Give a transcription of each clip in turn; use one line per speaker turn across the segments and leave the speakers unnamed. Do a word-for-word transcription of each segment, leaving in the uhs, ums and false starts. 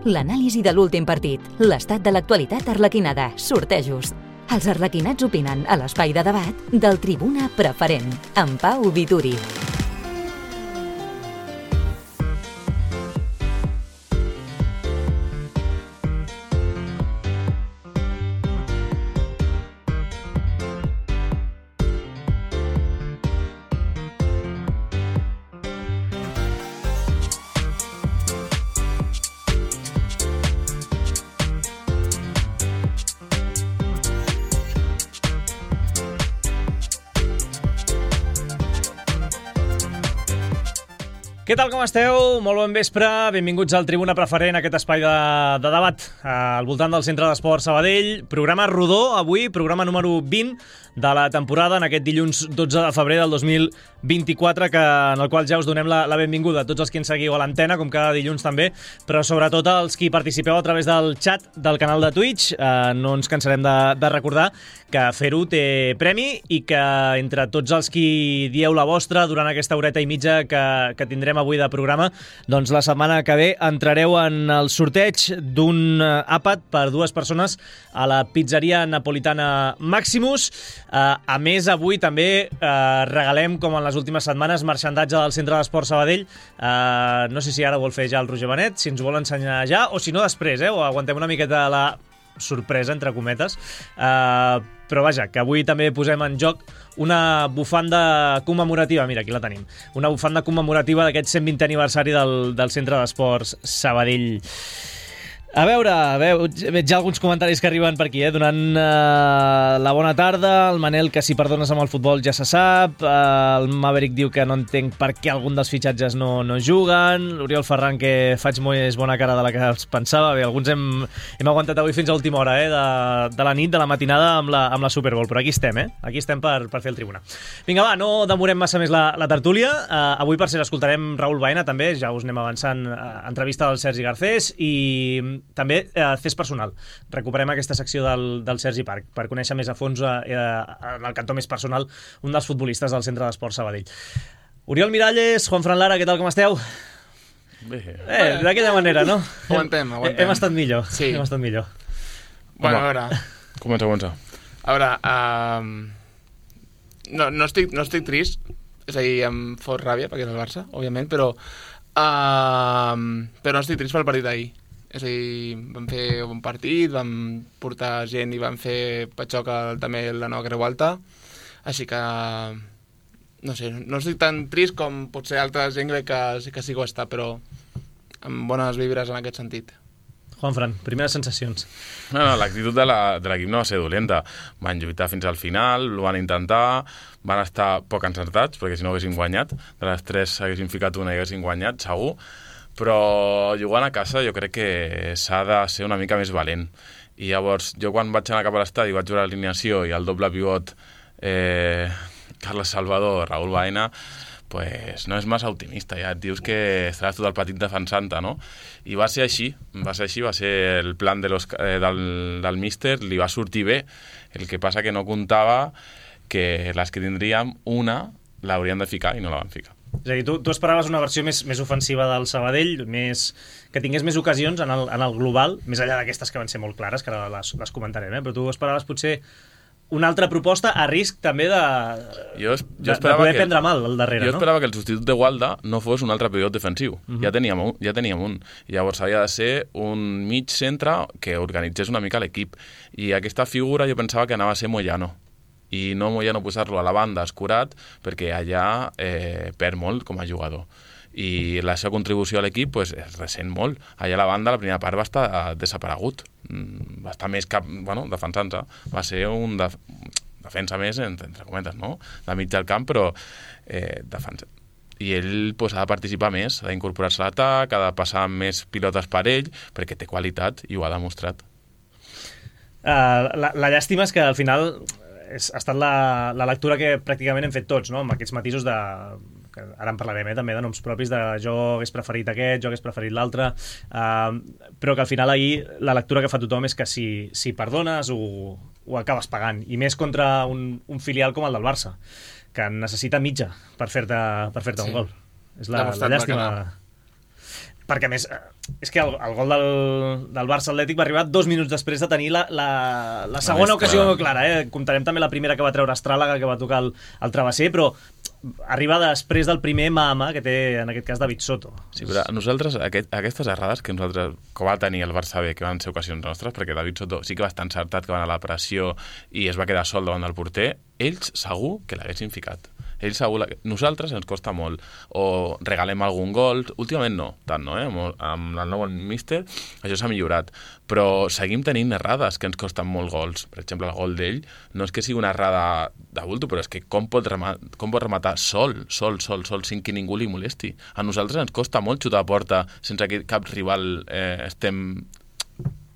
l'anàlisi de l'últim partit, l'estat de l'actualitat arlequinada, sortejos. Els arlequinats opinen a l'espai de debat del Tribuna Preferent, amb Pau Vituri.
Què tal, com esteu? Molt bon vespre, benvinguts al Tribuna Preferent, aquest espai de, de debat eh, al voltant del Centre d'Esport Sabadell. Programa rodó avui, programa número vint de la temporada, en aquest dilluns dotze de febrer del dos mil vint-i-quatre, que, en el qual ja us donem la, la benvinguda a tots els que ens seguiu a l'antena, com cada dilluns també, però sobretot als qui participeu a través del xat del canal de Twitch. Eh, no ens cansarem de, de recordar que fer-ho té premi i que entre tots els qui dieu la vostra durant aquesta horeta i mitja que, que tindrem avui de programa, doncs la setmana que ve entrareu en el sorteig d'un àpat per dues persones a la pizzeria napolitana Maximus. Uh, a més, avui també uh, regalem, com en les últimes setmanes, marxandatge del Centre d'Esport Sabadell. Uh, no sé si ara vol fer ja el Roger Benet, si ens vol ensenyar ja, o si no després, eh? O aguantem una miqueta la sorpresa, entre cometes. Uh, però vaja, que avui també posem en joc una bufanda commemorativa, mira, aquí la tenim, una bufanda commemorativa d'aquest cent vintè aniversari del, del Centre d'Esports Sabadell. A veure, a veure, veig ja alguns comentaris que arriben per aquí, eh? Donant uh, la bona tarda. El Manel, que si perdones amb el futbol ja se sap. Uh, el Maverick diu que no entenc per què algun dels fitxatges no, no juguen. L'Oriol Ferran, que faig molt bona cara de la que es pensava. Bé, alguns hem, hem aguantat avui fins a última hora, eh? de, de la nit, de la matinada, amb la, amb la Super Bowl. Però aquí estem, eh? Aquí estem per, per fer el Tribuna. Vinga, va, no demorem massa més la, la tertúlia. Uh, avui, per ser, escoltarem Raül Baena, també. Ja us anem avançant. Uh, entrevista del Sergi Garcés i també eh, Fes Personal. Recuperem aquesta secció del, del Sergi Parc per conèixer més a fons eh, en el cantó més personal un dels futbolistes del Centre d'Esport Sabadell. Oriol Miralles, Juan Fran Lara, què tal, com esteu?
Bé.
Eh, d'aquella manera, no?
Aguantem, aguantem.
Hem estat millor.
Sí.
Hem estat millor.
Bueno, a veure...
Comença, comença.
A veure, uh, no, no, estic, no estic trist, és a dir, em fot ràbia perquè és el Barça, òbviament, però, uh, però no estic trist pel partit d'ahir. És a dir, vam fer un partit, vam portar gent i vam fer patxoca també la nova Creu Alta, així que, no sé, no estic tan trist com potser altra gent crec que, que sí que ho està, però amb bones vibres en aquest sentit.
Juan Fran, primeres sensacions.
No, no, l'actitud de l'equip no va ser dolenta. Van lluitar fins al final, ho van intentar, van estar poc encertats, perquè si no haguessin guanyat, de les tres haguessin ficat una i haguessin guanyat, segur, però jugant a casa jo crec que s'ha de ser una mica més valent. I llavors, jo quan vaig anar cap a l'estadi vaig veure l'alineació i el doble pivot eh, Carles Salvador, Raül Baena, pues no és massa optimista, ja et dius que estaràs tot el partit defensant-te, no? I va ser així, va ser així, va ser el plan de los, eh, del, del míster, li va sortir bé, el que passa que no comptava que les que tindríem, una l'haurien de ficar i no la van ficar.
És a dir, tu, tu esperaves una versió més, més ofensiva del Sabadell, més, que tingués més ocasions en el, en el global, més enllà d'aquestes que van ser molt clares, que ara les, les comentarem, eh? Però tu esperaves potser una altra proposta a risc també de,
jo, jo
de, de poder que, prendre mal al darrere,
jo
no?
esperava que el substitut de Gualda no fos un altre pivot defensiu. Uh-huh. Ja teníem un, ja teníem un. I llavors havia de ser un mig centre que organitzés una mica l'equip. I aquesta figura jo pensava que anava a ser Moyano. I no Moyano posar-lo a la banda escurat perquè allà eh, perd molt com a jugador. I la seva contribució a l'equip pues, es ressent molt. Allà a la banda la primera part va estar desaparegut. Va estar més cap, bueno, defensant-se. Va ser un def defensa més, entre, entre cometes, no? De mig del camp, però eh, defensa. I ell pues, ha de participar més, ha d'incorporar-se a l'atac, ha de passar més pilotes per ell, perquè té qualitat i ho ha demostrat.
Uh, la, la llàstima és que al final és, ha estat la, la lectura que pràcticament hem fet tots, no? Amb aquests matisos de... que ara en parlarem, eh, també, de noms propis de jo hagués preferit aquest, jo hagués preferit l'altre, uh, però que al final ahir la lectura que fa tothom és que si, si perdones ho, ho acabes pagant, i més contra un, un filial com el del Barça, que necessita mitja per fer-te per fer-te sí. un gol. És la, la llàstima. perquè a més, és que el, el gol del, del Barça Atlètic va arribar dos minuts després de tenir la, la, la segona ocasió clara, eh? Comptarem també la primera que va treure Estràlaga, que va tocar el, el travesser, però arriba després del primer mà a mà que té, en aquest cas, David Soto.
Sí, però nosaltres, aquest, aquestes errades que nosaltres, que va tenir el Barça B, que van ser ocasions nostres, perquè David Soto sí que va estar encertat, que va anar a la pressió i es va quedar sol davant del porter, ells segur que l'haguessin ficat. Ells segur... La... Nosaltres ens costa molt. O regalem algun gol. Últimament no, tant no, eh? Amb, amb el nou míster això s'ha millorat. Però seguim tenint errades que ens costen molt gols. Per exemple, el gol d'ell no és que sigui una errada de bulto, però és que com pot, rematar, com pot rematar sol, sol, sol, sol, sin que ningú li molesti. A nosaltres ens costa molt xutar a porta sense que cap rival eh, estem...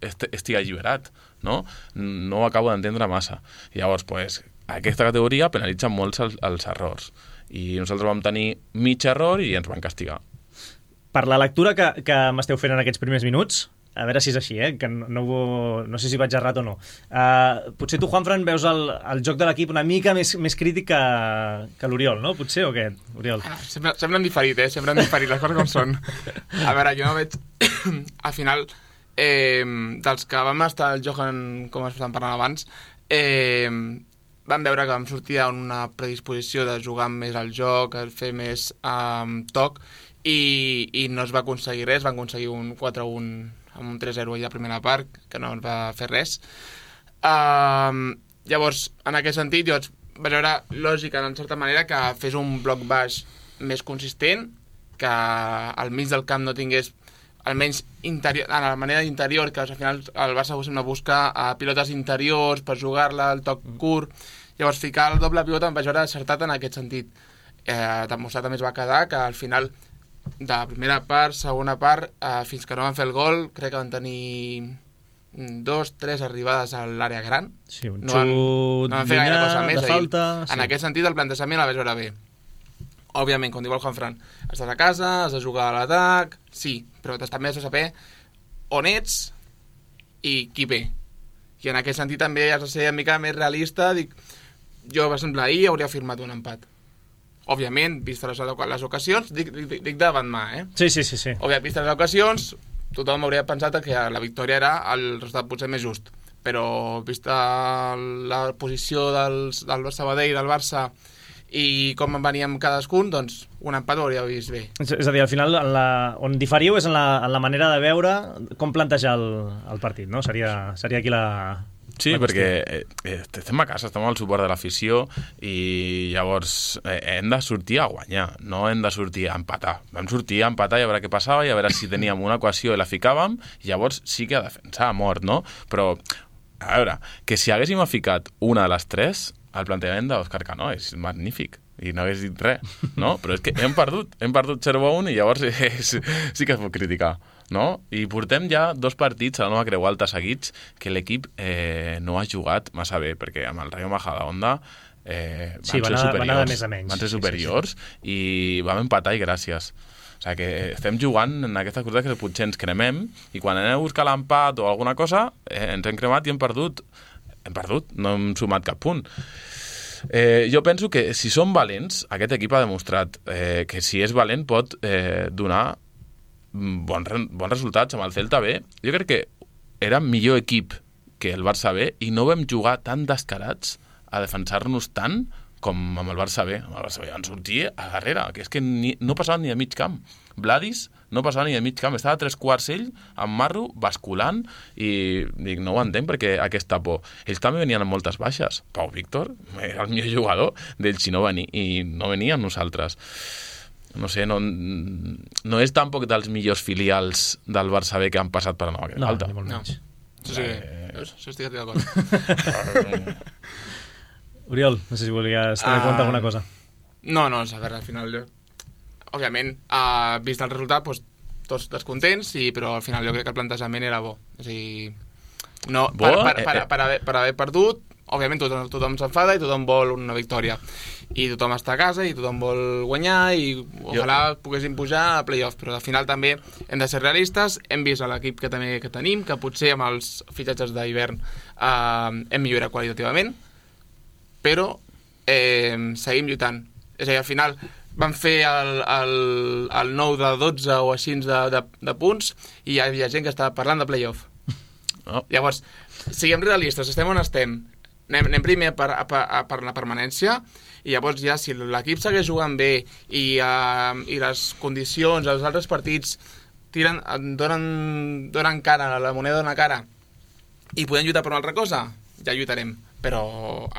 estigui alliberat, no? No ho acabo d'entendre massa. I llavors, pues, aquesta categoria penalitza molts els, els errors. I nosaltres vam tenir mig error i ens van castigar.
Per la lectura que, que m'esteu fent en aquests primers minuts, a veure si és així, eh? Que no, no, no sé si vaig errat o no. Uh, potser tu, Juanfran, veus el, el joc de l'equip una mica més, més crític que, que l'Oriol, no? Potser, o què, Oriol?
Ah, sempre, sempre han diferit, eh? Sempre han diferit les coses com són. A veure, jo no veig... Al final... Eh, dels que vam estar al Johan, com estàvem parlant abans, eh, vam veure que vam sortir a una predisposició de jugar més al joc, a fer més eh, toc, i, i no es va aconseguir res, van aconseguir un quatre a un amb un tres a zero a la primera part, que no ens va fer res. Eh, llavors, en aquest sentit, jo vaig veure lògica, en certa manera, que fes un bloc baix més consistent, que al mig del camp no tingués almenys interior, a la manera d'interior, que al final el Barça sembla buscar a pilotes interiors per jugar-la, el toc curt. Llavors, ficar el doble pivot em vaig veure acertat en aquest sentit. Eh, demostrat també es va quedar que al final de la primera part, segona part, eh, fins que no van fer el gol, crec que van tenir dos, tres arribades a l'àrea gran.
Sí, un
no van,
xut
no van fer gaire cosa més.
De falta...
En sí. Aquest sentit, el plantejament la vaig veure bé. Òbviament, com diu el Juanfran, estàs a casa, has de jugar a l'atac, sí, però també has de saber on ets i qui ve. I en aquest sentit també has de ser una mica més realista. Dic, jo, per exemple, ahir hauria firmat un empat. Òbviament, vistes les, les ocasions, dic, dic, dic davant mà, eh?
Sí, sí, sí, sí.
Òbviament, vistes les ocasions, tothom hauria pensat que la victòria era el resultat potser més just. Però, vista la posició dels, del Sabadell, del Barça, i com veníem cadascun, doncs un empat ho hauria vist bé.
És, és a dir, al final en la, on diferiu és en la, en la manera de veure com plantejar el, el partit, no? Seria, seria aquí la...
Sí, la perquè eh, estem a casa, estem al suport de l'afició i llavors eh, hem de sortir a guanyar, no hem de sortir a empatar. Vam sortir a empatar i a veure què passava i a veure si teníem una equació i la ficàvem i llavors sí que a defensar a mort, no? Però, a veure, que si haguéssim ficat una de les tres, el plantejament d'Òscar Cano és magnífic i no hagués dit res, no? Però és que hem perdut, hem perdut zero a un i llavors és, sí que es pot criticar, no? I portem ja dos partits a la nova Creu Alta seguits que l'equip eh, no ha jugat massa bé, perquè amb el Rayo Majadahonda eh, van,
sí,
ser
anar,
superiors,
van anar de més a menys.
van ser superiors
sí, sí, sí.
I vam empatar i gràcies. O sigui que estem jugant en aquesta cosa que potser ens cremem i quan anem a buscar l'empat o alguna cosa eh, ens hem cremat i hem perdut hem perdut, no hem sumat cap punt. Eh, jo penso que si som valents, aquest equip ha demostrat eh, que si és valent pot eh, donar bons, bons resultats amb el Celta B. Jo crec que era millor equip que el Barça B i no vam jugar tan descarats a defensar-nos tant com amb el Barça B. Amb el Barça B van sortir a darrere, que és que ni, no passava ni a mig camp. Vladis no passava ni a mig camp, estava a tres quarts ell, amb Marro, basculant, i dic, no ho entenc perquè aquesta por. Ells també venien amb moltes baixes. Pau Víctor era el millor jugador d'ells si no venia, i no venia amb nosaltres. No sé, no, no és tampoc dels millors filials del Barça B que han passat per la nova Creu Alta.
No, ni molt menys.
No. Això sí que... Eh... Això estic d'acord.
Oriol, no sé si volies tenir en compte alguna cosa.
No, no, a veure, al final jo... Òbviament, uh, vist el resultat, doncs, tots descontents, i, però al final jo crec que el plantejament era bo. És a dir, no,
bo,
per, per, per,
eh,
per, haver, per haver perdut, òbviament tothom, tothom s'enfada i tothom vol una victòria. I tothom està a casa i tothom vol guanyar i ojalà jo... poguéssim pujar a play-off, però al final també hem de ser realistes, hem vist l'equip que també que tenim, que potser amb els fitxatges d'hivern uh, hem millorat qualitativament, però eh, seguim lluitant. És a dir, al final van fer el, el, el nou de dotze o així de, de, de punts i hi havia gent que estava parlant de playoff. Oh. Llavors, siguem realistes, estem on estem. Anem, anem primer per, per, per la permanència i llavors ja si l'equip segueix jugant bé i, uh, i les condicions, els altres partits tiren, donen, donen cara, la moneda dona cara i podem lluitar per una altra cosa, ja lluitarem. Però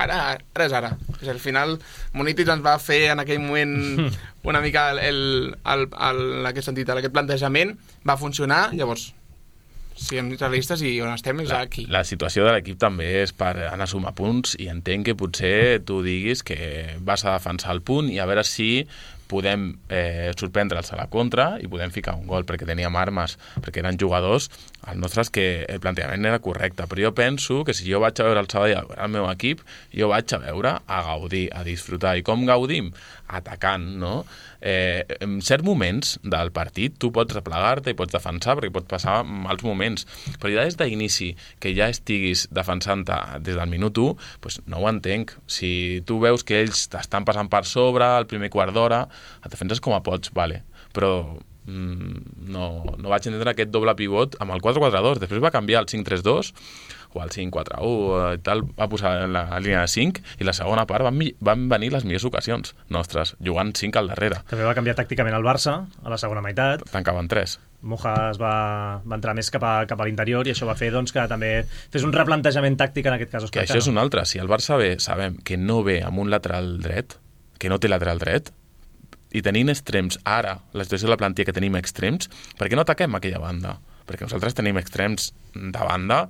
ara, ara és ara. És al final, Munitis ens va fer en aquell moment una mica el, el, el, el, en aquest sentit, aquest plantejament va funcionar, llavors siguem realistes i on estem és
la,
aquí.
La situació de l'equip també és per anar a sumar punts i entenc que potser tu diguis que vas a defensar el punt i a veure si podem eh, sorprendre'ls a la contra i podem ficar un gol, perquè teníem armes, perquè eren jugadors, els nostres, que el plantejament era correcte, però jo penso que si jo vaig a veure el Sabadell, el meu equip, jo vaig a veure, a gaudir, a disfrutar. I com gaudim? Atacant, no? Eh, en certs moments del partit tu pots replegar-te i pots defensar perquè pots passar mals moments, però ja des d'inici que ja estiguis defensant-te des del minut u, doncs no ho entenc. Si tu veus que ells t'estan passant per sobre el primer quart d'hora, et defenses com a pots, vale, però mm, no, no vaig entendre aquest doble pivot amb el quatre quatre dos, després va canviar el cinc tres dos o el cinc quatre u i tal, va posar la, la línia de cinc i la segona part van, van venir les millors ocasions nostres, jugant cinc al darrere.
També va canviar tàcticament el Barça a la segona meitat.
Tancaven tres.
Moja es va, va entrar més cap a, cap a l'interior i això va fer doncs, que també fes un replantejament tàctic en aquest cas.
Que això és un altre. Si el Barça ve, sabem que no ve amb un lateral dret, que no té lateral dret, i tenint extrems ara, la situació de la plantilla que tenim extrems, per què no ataquem aquella banda? Perquè nosaltres tenim extrems de banda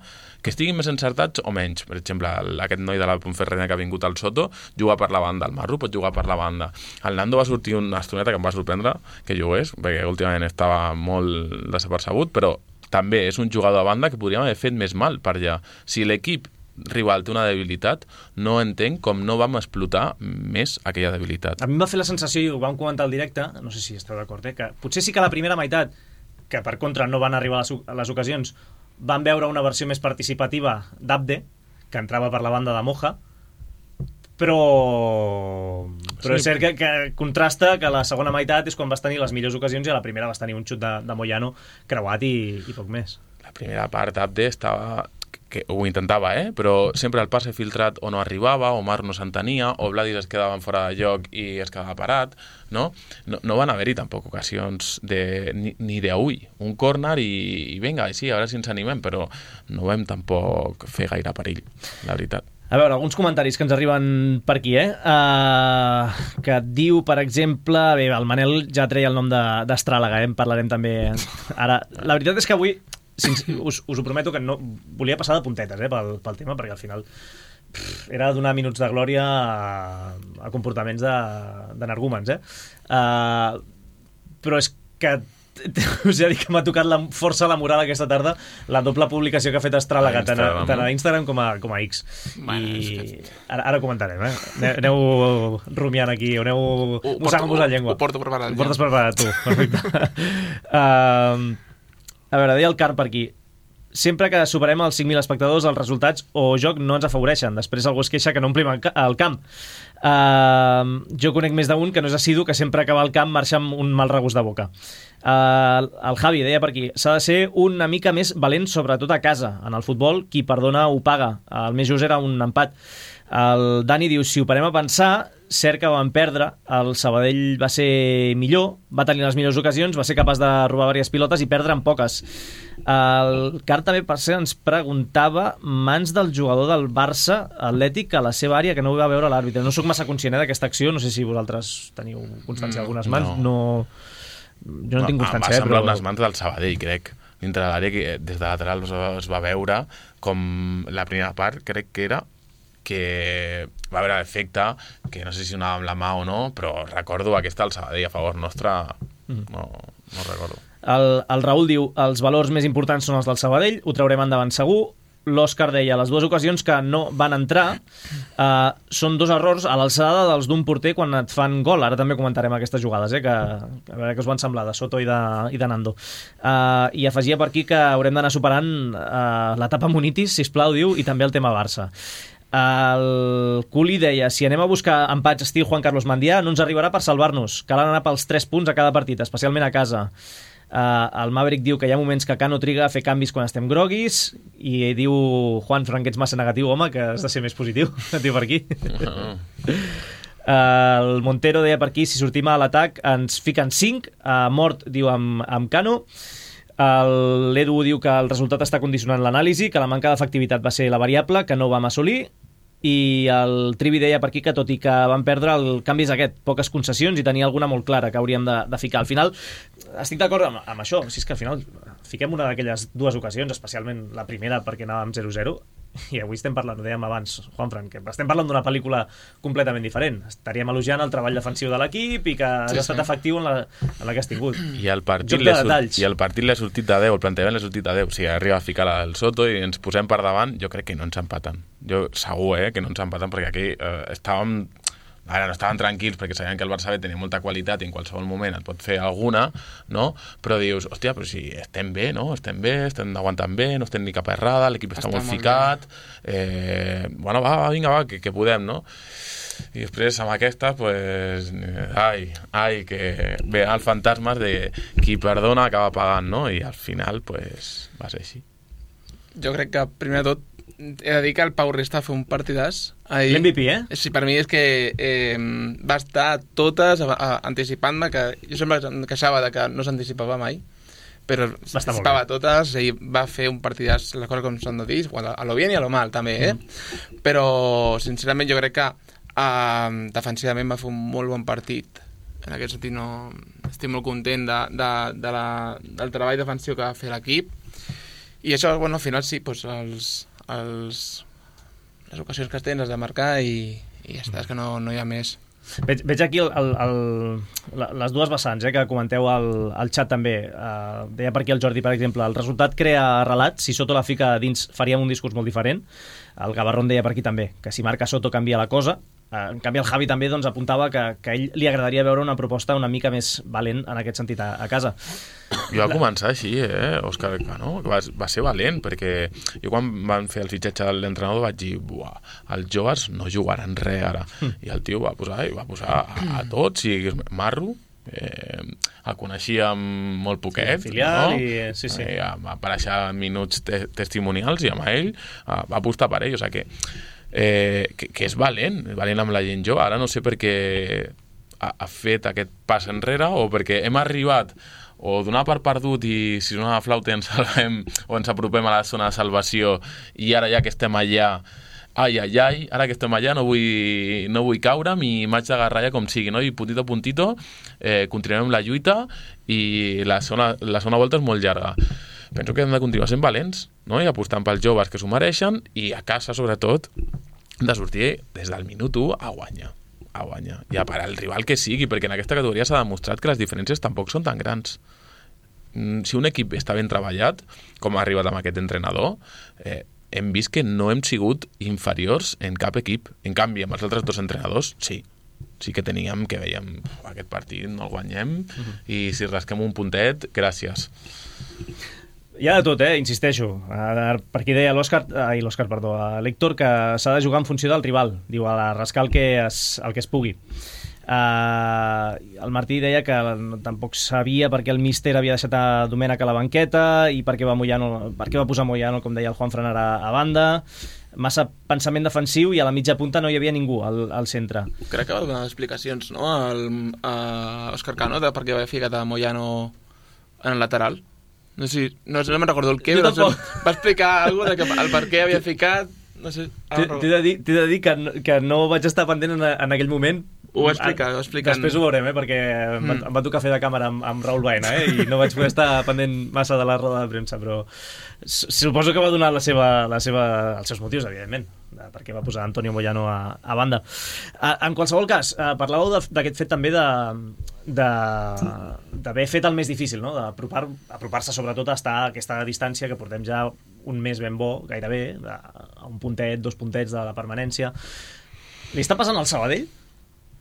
que estiguin més encertats o menys. Per exemple, aquest noi de la Ponferrada que ha vingut al Soto juga per la banda, el Marro pot jugar per la banda. El Nando va sortir una estoneta que em va sorprendre que jugués, perquè últimament estava molt desapercebut, però també és un jugador de banda que podríem haver fet més mal per allà. Si l'equip rival té una debilitat, no entenc com no vam explotar més aquella debilitat.
A mi em va fer la sensació, i ho vam comentar al directe, no sé si esteu d'acord, eh, que potser sí que la primera meitat, que per contra no van arribar a les, a les ocasions, van veure una versió més participativa d'Abde, que entrava per la banda de Moja, però, però sí. És cert que, que contrasta que la segona meitat és quan vas tenir les millors ocasions i a la primera vas tenir un xut de, de Moyano creuat i, i poc més.
La primera part Abde estava... que ho intentava, eh? Però sempre el passe filtrat o no arribava, o Mar no s'entenia, o Vladis es quedava fora de lloc i es quedava parat, no? No, no van haver-hi tampoc ocasions de, ni, ni d'avui. Un córner i, i vinga, sí, a veure si ens animem, però no vam tampoc fer gaire perill, la veritat.
A veure, alguns comentaris que ens arriben per aquí, eh? Uh, que et diu, per exemple... Bé, el Manel ja treia el nom d'Astràlaga, eh? En parlarem també ara. La veritat és que avui... Us, us ho prometo que no volia passar de puntetes eh, pel, pel tema, perquè al final pff, era donar minuts de glòria a, a comportaments d'energúmens, eh? Uh, però és que us he dit que m'ha tocat la, força la moral aquesta tarda la doble publicació que ha fet Astràlaga tant, tant a Instagram com a, com a X. Bueno, i que... ara, ara comentarem, eh? Aneu rumiant aquí, aneu mossegant-vos la llengua.
Ho porto preparat.
Ho portes preparat, tu. Perfecte. uh, A veure, deia el Carp per aquí. Sempre que superem els cinc mil espectadors, els resultats o joc no ens afavoreixen. Després algú es queixa que no omplim el camp. Uh, jo conec més d'un que no és assidu, que sempre acaba el camp marxa amb un mal regust de boca. Uh, el Javi deia per aquí, s'ha de ser una mica més valent, sobretot a casa. En el futbol, qui perdona ho paga. El més just era un empat. El Dani diu, si ho parem a pensar, cert que van perdre, el Sabadell va ser millor, va tenir les millors ocasions, va ser capaç de robar diverses pilotes i perdre en poques. El Car també, per ser, ens preguntava mans del jugador del Barça Atlètic a la seva àrea, que no ho va veure l'àrbitre. No sóc massa conscient d'aquesta acció, no sé si vosaltres teniu constància d'algunes mans. No. no... Jo no, no tinc constància.
Va semblar
però...
unes mans del Sabadell, crec. Dintre de l'àrea, que des de lateral es va, es va veure com la primera part, crec que era que va haver l'efecte, que no sé si anava amb la mà o no, però recordo aquesta al Sabadell a favor nostre, no, no recordo.
El, el Raül diu, els valors més importants són els del Sabadell, ho traurem endavant segur. L'Òscar deia, les dues ocasions que no van entrar eh, són dos errors a l'alçada dels d'un porter quan et fan gol. Ara també comentarem aquestes jugades, eh, que, a veure què us van semblar, de Soto i de, i de Nando. Eh, I afegia per aquí que haurem d'anar superant eh, l'etapa Munitis, sisplau, diu, i també el tema Barça. El Culi deia, si anem a buscar empats estil Juan Carlos Mandià, no ens arribarà per salvar-nos. Cal anar pels tres punts a cada partit, especialment a casa. Uh, el Maverick diu que hi ha moments que Cano triga a fer canvis quan estem groguis, i diu Juan Fran que ets massa negatiu, home, que has de ser més positiu. Et diu per aquí. Uh, el Montero deia per aquí, si sortim a l'atac ens fiquen cinc. Uh, Mort diu amb, amb Cano. L'Edu diu que el resultat està condicionant l'anàlisi, que la manca d'efectivitat va ser la variable que no vam assolir. I el Trivi deia per aquí que tot i que van perdre, el canvi és aquest, poques concessions, i tenia alguna molt clara que hauríem de, de ficar. Al final, estic d'acord amb, amb això, si és que al final fiquem una d'aquelles dues ocasions, especialment la primera perquè anàvem zero zero, i avui estem parlant, ho dèiem abans, Juanfran, que estem parlant d'una pel·lícula completament diferent. Estaríem elogiant el treball defensiu de l'equip i que has sí, estat sí. efectiu en la, en la que has tingut.
I el partit l'ha de sortit de deu, el plantejament l'ha sortit de deu. O sigui, arriba a ficar la del Soto i ens posem per davant, jo crec que no ens empaten. Jo segur, eh, que no ens empaten, perquè aquí eh, estàvem... Ara no estaven tranquils perquè sabien que el Barça B tenia molta qualitat i en qualsevol moment et pot fer alguna, no? Però dius, hòstia, però si estem bé, no? Estem bé, estem aguantant bé, no estem ni cap errada, l'equip està, està molt ficat, eh, bueno, va, va, vinga, va, que, que podem, no? I després amb aquesta, pues, ai, ai, que ve els fantasmes de qui perdona acaba pagant, no? I al final, pues, va ser així.
Jo crec que, primer de tot, he de dir que el Pau Resta va fer un partidàs.
L'M V P, eh?
Sí, per mi és que eh, va estar totes a, a, anticipant-me, que jo sempre em queixava de que no s'anticipava mai, però s'anticipava totes, i va fer un partidàs, les coses com s'han de dir, bueno, a lo bien i a lo mal també, eh? Mm. Però sincerament jo crec que eh, defensivament va fer un molt bon partit. En aquest sentit no... estic molt content de, de, de la, del treball defensiu que va fer l'equip, i això, bueno, al final sí, doncs els Els, les ocasions que tens has de marcar i, i ja està, és que no, no hi ha més.
Veig, veig aquí el, el, el, les dues vessants eh, que comenteu al, al xat també. Uh, deia per aquí el Jordi, per exemple, el resultat crea relat, si Soto la fica dins faríem un discurs molt diferent. El Gavarrón deia per aquí també, que si marca Soto canvia la cosa. Uh, en canvi el Javi també doncs, apuntava que, que a ell li agradaria veure una proposta una mica més valent en aquest sentit a, a casa.
Jo va començar així, eh, Òscar Cano, que va, va ser valent, perquè jo quan van fer el fitxatge de l'entrenador vaig dir, buah, els joves no jugaran res ara. Mm. I el tio va posar, va posar a, a tots, i Marro, eh, el coneixíem molt poquet,
sí, filial,
no?
I, sí, sí.
Eh, va aparèixer minuts te testimonials i amb ell eh, va apostar per ell, o sigui que Eh, que, que és valent, valent amb la gent jove. Ara no sé per què ha, ha fet aquest pas enrere, o perquè hem arribat o donar per perdut i si sona la flauta ens salvem o ens apropem a la zona de salvació, i ara ja que estem allà, ai, ai, ai, ara que estem allà no vull, no vull caure'm i m'haig d'agarrar ja com sigui, no? I puntito a puntito eh, continuem amb la lluita i la segona, la segona volta és molt llarga. Penso que hem de continuar sent valents, no? I apostant pels joves que s'ho mereixen, i a casa, sobretot, de sortir des del minut u a guanyar. A guanyar. I a parar el rival que sigui, perquè en aquesta categoria s'ha demostrat que les diferències tampoc són tan grans. Si un equip està ben treballat, com ha arribat amb aquest entrenador, eh, hem vist que no hem sigut inferiors en cap equip. En canvi, amb els altres dos entrenadors, sí. Sí que teníem que veiem aquest partit no el guanyem, uh-huh. i si rasquem un puntet, gràcies.
Hi ha de tot, eh? Insisteixo. Per aquí deia l'Òscar, ai, l'Òscar, perdó, l'Héctor, que s'ha de jugar en funció del rival. Diu, a rascar el que es, el que es pugui. Uh, el Martí deia que tampoc sabia per què el míster havia deixat a Domènech a la banqueta i per què va, Moyano, per què va posar Moyano, com deia el Juan Fran, a, a banda. Massa pensament defensiu, i a la mitja punta no hi havia ningú al, al centre.
Crec que va donar explicacions, no?, al, a Òscar Cano, de per què va ficar a Moyano en el lateral. No sé, no, no me'n recordo el què, però va explicar alguna cosa de que el per què havia ficat, no sé.
T'he de dir, de dir que, no, que no vaig estar pendent en, en aquell moment.
Ho va explicar, ho va explicar.
Després ho veurem, eh, perquè mm. em, em va tocar fer de càmera amb, amb Raúl Baena, eh, i no vaig poder estar pendent massa de la roda de premsa, però suposo que va donar la seva, la seva, els seus motius, evidentment, perquè va posar Antonio Moyano a, a banda. En qualsevol cas, parlàveu d'aquest fet també de d'haver fet el més difícil, no? D'apropar-se apropar sobretot a estar a aquesta distància que portem ja un mes ben bo, gairebé, a un puntet, dos puntets de la permanència. Li està passant al Sabadell?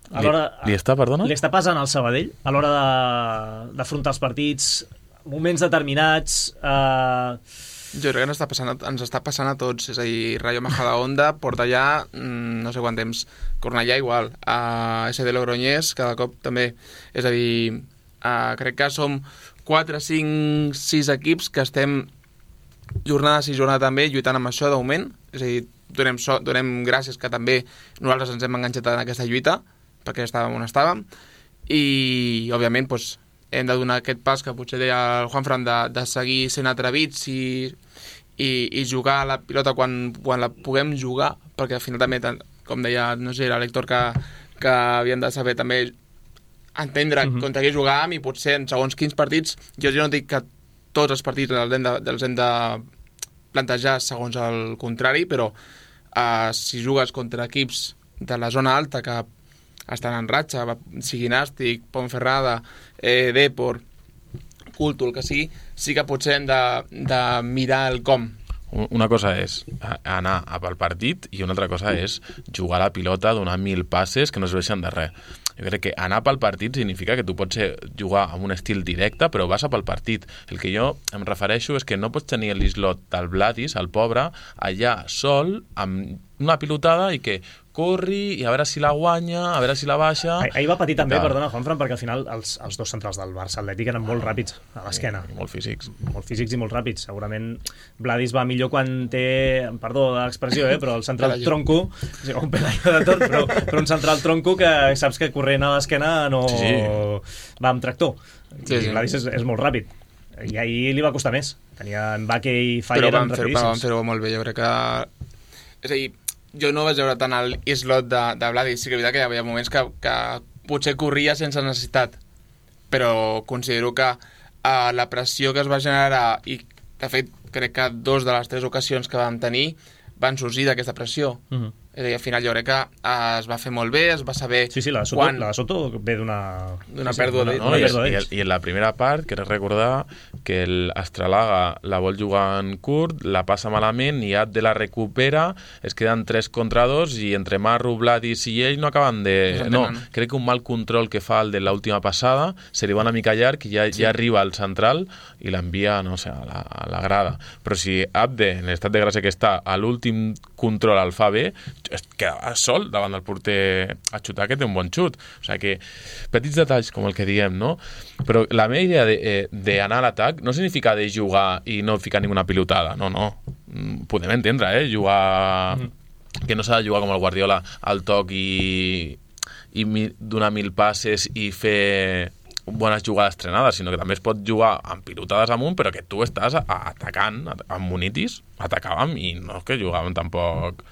A
li, li està, perdona?
Li està passant al Sabadell a l'hora d'afrontar els partits, moments determinats, eh,
Jo crec que ens està passant a, ens està passant a tots, és a dir, Rayo Majadahonda porta ja mm, no sé quant temps, Cornellà igual, a S D Logroñés cada cop també, és a dir, uh, crec que som quatre, cinc, sis equips que estem jornada sí, jornada també lluitant amb això de moment, és a dir, donem, so, donem gràcies que també nosaltres ens hem enganxat en aquesta lluita, perquè estàvem on estàvem, i òbviament doncs, hem de donar aquest pas que potser deia el Juanfran de, de seguir sent atrevits i, i, i jugar a la pilota quan, quan la puguem jugar, perquè al final també, com deia, no sé, era l'Héctor que, que havíem de saber també entendre uh-huh. contra qui jugàvem i potser en segons quins partits, jo, jo no dic que tots els partits els hem de, els hem de plantejar segons el contrari, però uh, si jugues contra equips de la zona alta que estan en ratxa, sigui Nàstic, Ponferrada, eh, Depor, Culto, el que sigui, sí que potser hem de, de mirar el com.
Una cosa és anar pel partit i una altra cosa és jugar a la pilota, donar mil passes que no es veixen de res. Jo crec que anar pel partit significa que tu pots jugar amb un estil directe, però vas a pel partit. El que jo em refereixo és que no pots tenir l'islot del Vladis, el pobre, allà sol, amb una pilotada i que corri i a veure si la guanya, a veure si la baixa...
Ah, ahir va patir també, perdona, Juanfran, perquè al final els, els dos centrals del Barça Atlètic eren molt ràpids a l'esquena.
I molt físics.
Molt físics i molt ràpids. Segurament Vladis va millor quan té, perdó de l'expressió, eh, però el central tronco, sí, un pelaio de tot, però, però un central tronco que saps que corrent a l'esquena no sí, sí. va amb tractor. Sí, I sí. Vladis és, és molt ràpid. I ahir li va costar més. Tenia Mbacké i Faller
eren rapidíssims. Però van fer-ho molt bé, jo crec que... És a dir, jo no vaig veure tant el islot de, de Vladis, sí que és veritat que hi havia moments que, que potser corria sense necessitat, però considero que uh, la pressió que es va generar, i de fet crec que dos de les tres ocasions que vam tenir van sorgir d'aquesta pressió. Uh-huh. És a dir, al final jo crec que uh, es va fer molt bé, es va saber...
Sí, sí, la de Soto, quan... la de Soto ve d'una...
D'una
sí,
pèrdua
sí,
d'ells.
No, no, i, i, I en la primera part, crec recordar que l'Astralaga la vol jugar en curt, la passa malament i Abde la recupera, es queden tres contra dos i entre Marru, Vladis i ell no acaben de... No, crec que un mal control que fa el de l'última passada, se li va una mica llarg i ja, sí. ja arriba al central i l'envia, no sé, a la, a la grada. Però si Abde, en l'estat de gràcia que està, a l'últim control el fa bé, es queda sol davant del porter a xutar, que té un bon xut. O sigui que petits detalls com el que diem, no? Però la meva idea d'anar a l'atac no significa de jugar i no ficar ninguna pilotada, no, no. Podem entendre, eh? Jugar... Mm. Que no s'ha de jugar com el Guardiola al toc i, i mi, donar mil passes i fer bones jugades trenades, sinó que també es pot jugar amb pilotades amunt, però que tu estàs atacant, amb monitis, atacàvem i no és que jugàvem tampoc...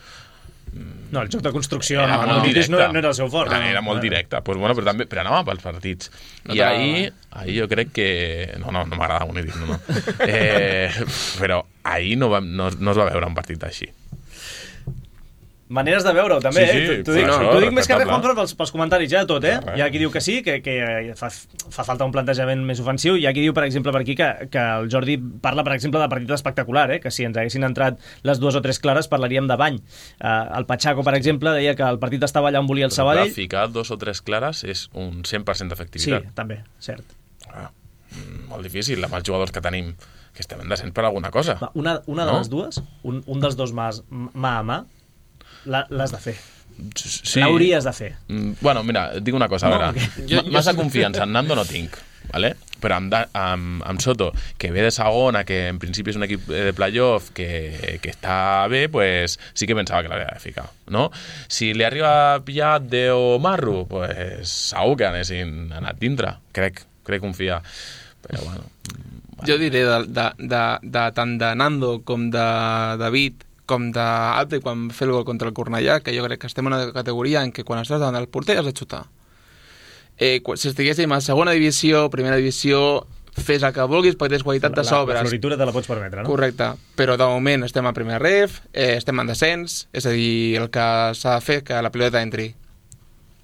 No, el joc de construcció era no, no, no, no era el seu fort.
Era, era molt directe, pues bueno, però, també, però anàvem pels partits. No I ahir, ahir jo crec que... No, no, no m'agrada Munitis, no, no. Eh, però ahir no, va, no, no es va veure un partit així.
Maneres de veure-ho, també,
sí, sí,
eh? T'ho dic,
no,
no, dic més que res, Juanfran, pels, pels comentaris, ja, tot, eh?
No,
hi ha qui diu que sí, que, que fa, fa falta un plantejament més ofensiu, hi ha qui diu, per exemple, per aquí, que, que el Jordi parla, per exemple, de partit espectacular, eh? Que si ens haguessin entrat les dues o tres clares parlaríem de bany. Uh, el Pachaco, per exemple, deia que el partit estava allà on volia el Sabadell.
Però ficar dos o tres clares és un cent per cent d'efectivitat.
Sí, també, cert.
Ah, molt difícil, amb els jugadors que tenim, que estem descents per alguna cosa.
Va, una una de
no?
les dues, un, un dels dos mà, mà a mà, l'has de fer.
Sí.
L'hauries de fer.
Bueno, mira, et dic una cosa, a
no,
veure.
okay. jo,
Massa jo... confiança en Nando no tinc, ¿vale? Però amb, amb, amb Soto, que ve de segona, que en principi és un equip de playoff que, que està bé, pues sí que pensava que l'havia de ficar, no? Si li arriba a pillar de o Marru, pues segur que anessin anat dintre, crec, crec confiar. Però bueno... bueno.
Jo diré de, de, de, de tant de Nando com de David com d'Abde quan fer el gol contra el Cornellà, que jo crec que estem en una categoria en què quan estàs davant del porter has de xutar. Eh, si estiguéssim a segona divisió, primera divisió, fes el que vulguis perquè tens qualitat de sobres.
La floritura te la pots permetre, no?
Correcte, però de moment estem a primer ref, eh, estem en descens, és a dir, el que s'ha de fer que la pilota entri.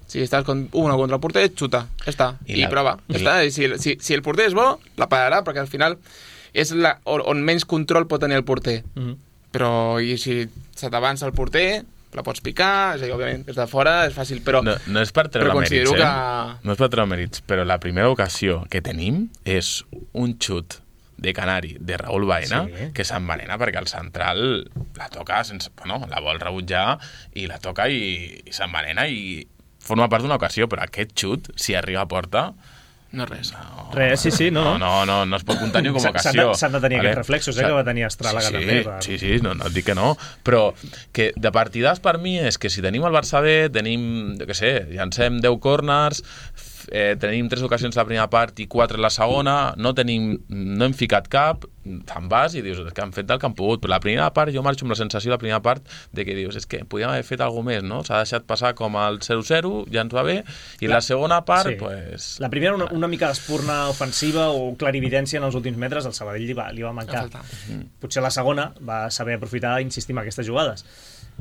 Si estàs con una contra el porter, xuta, ja està, i, i la... prova, ja I... està. I si, si, si el porter és bo, la pararà, perquè al final és la, on menys control pot tenir el porter. Mm-hmm. Però i si se t'avança el porter, la pots picar, és a dir, òbviament, des de fora és fàcil, però...
No, no és per treure mèrits, eh?
Que...
No és per treure mèrits, però la primera ocasió que tenim és un xut de Canari, de Raúl Baena,
Sí.
que s'envenena perquè el central la toca sense... Bueno, la vol rebutjar i la toca i, i s'envenena i forma part d'una ocasió, però aquest xut, si arriba a porta...
No res.
No,
Res, sí, sí, no,
no,
no.
no, no, no es pot comptar ni com a
S'han- s'han de-
ocasió.
s'han de tenir aquests reflexos, eh,
S'ha-
que va tenir Estràlaga
sí,
també,
Sí,
per-
sí, sí, no, no et dic que no, però que de partides per mi és que si tenim el Barça bé, tenim, jo què sé, llancem deu corners, eh, tenim tres ocasions a la primera part i quatre a la segona, no tenim, no hem ficat cap, te'n vas i dius que han fet del que han pogut, però la primera part jo marxo amb la sensació la primera part de que dius és que podíem haver fet alguna més, no? S'ha deixat passar com el zero zero, ja ens va bé, i la, la segona part,
sí.
pues...
La primera, una, una mica d'espurna ofensiva o clarividència en els últims metres, el Sabadell li va, li va mancar. Potser la segona va saber aprofitar i insistir en aquestes jugades.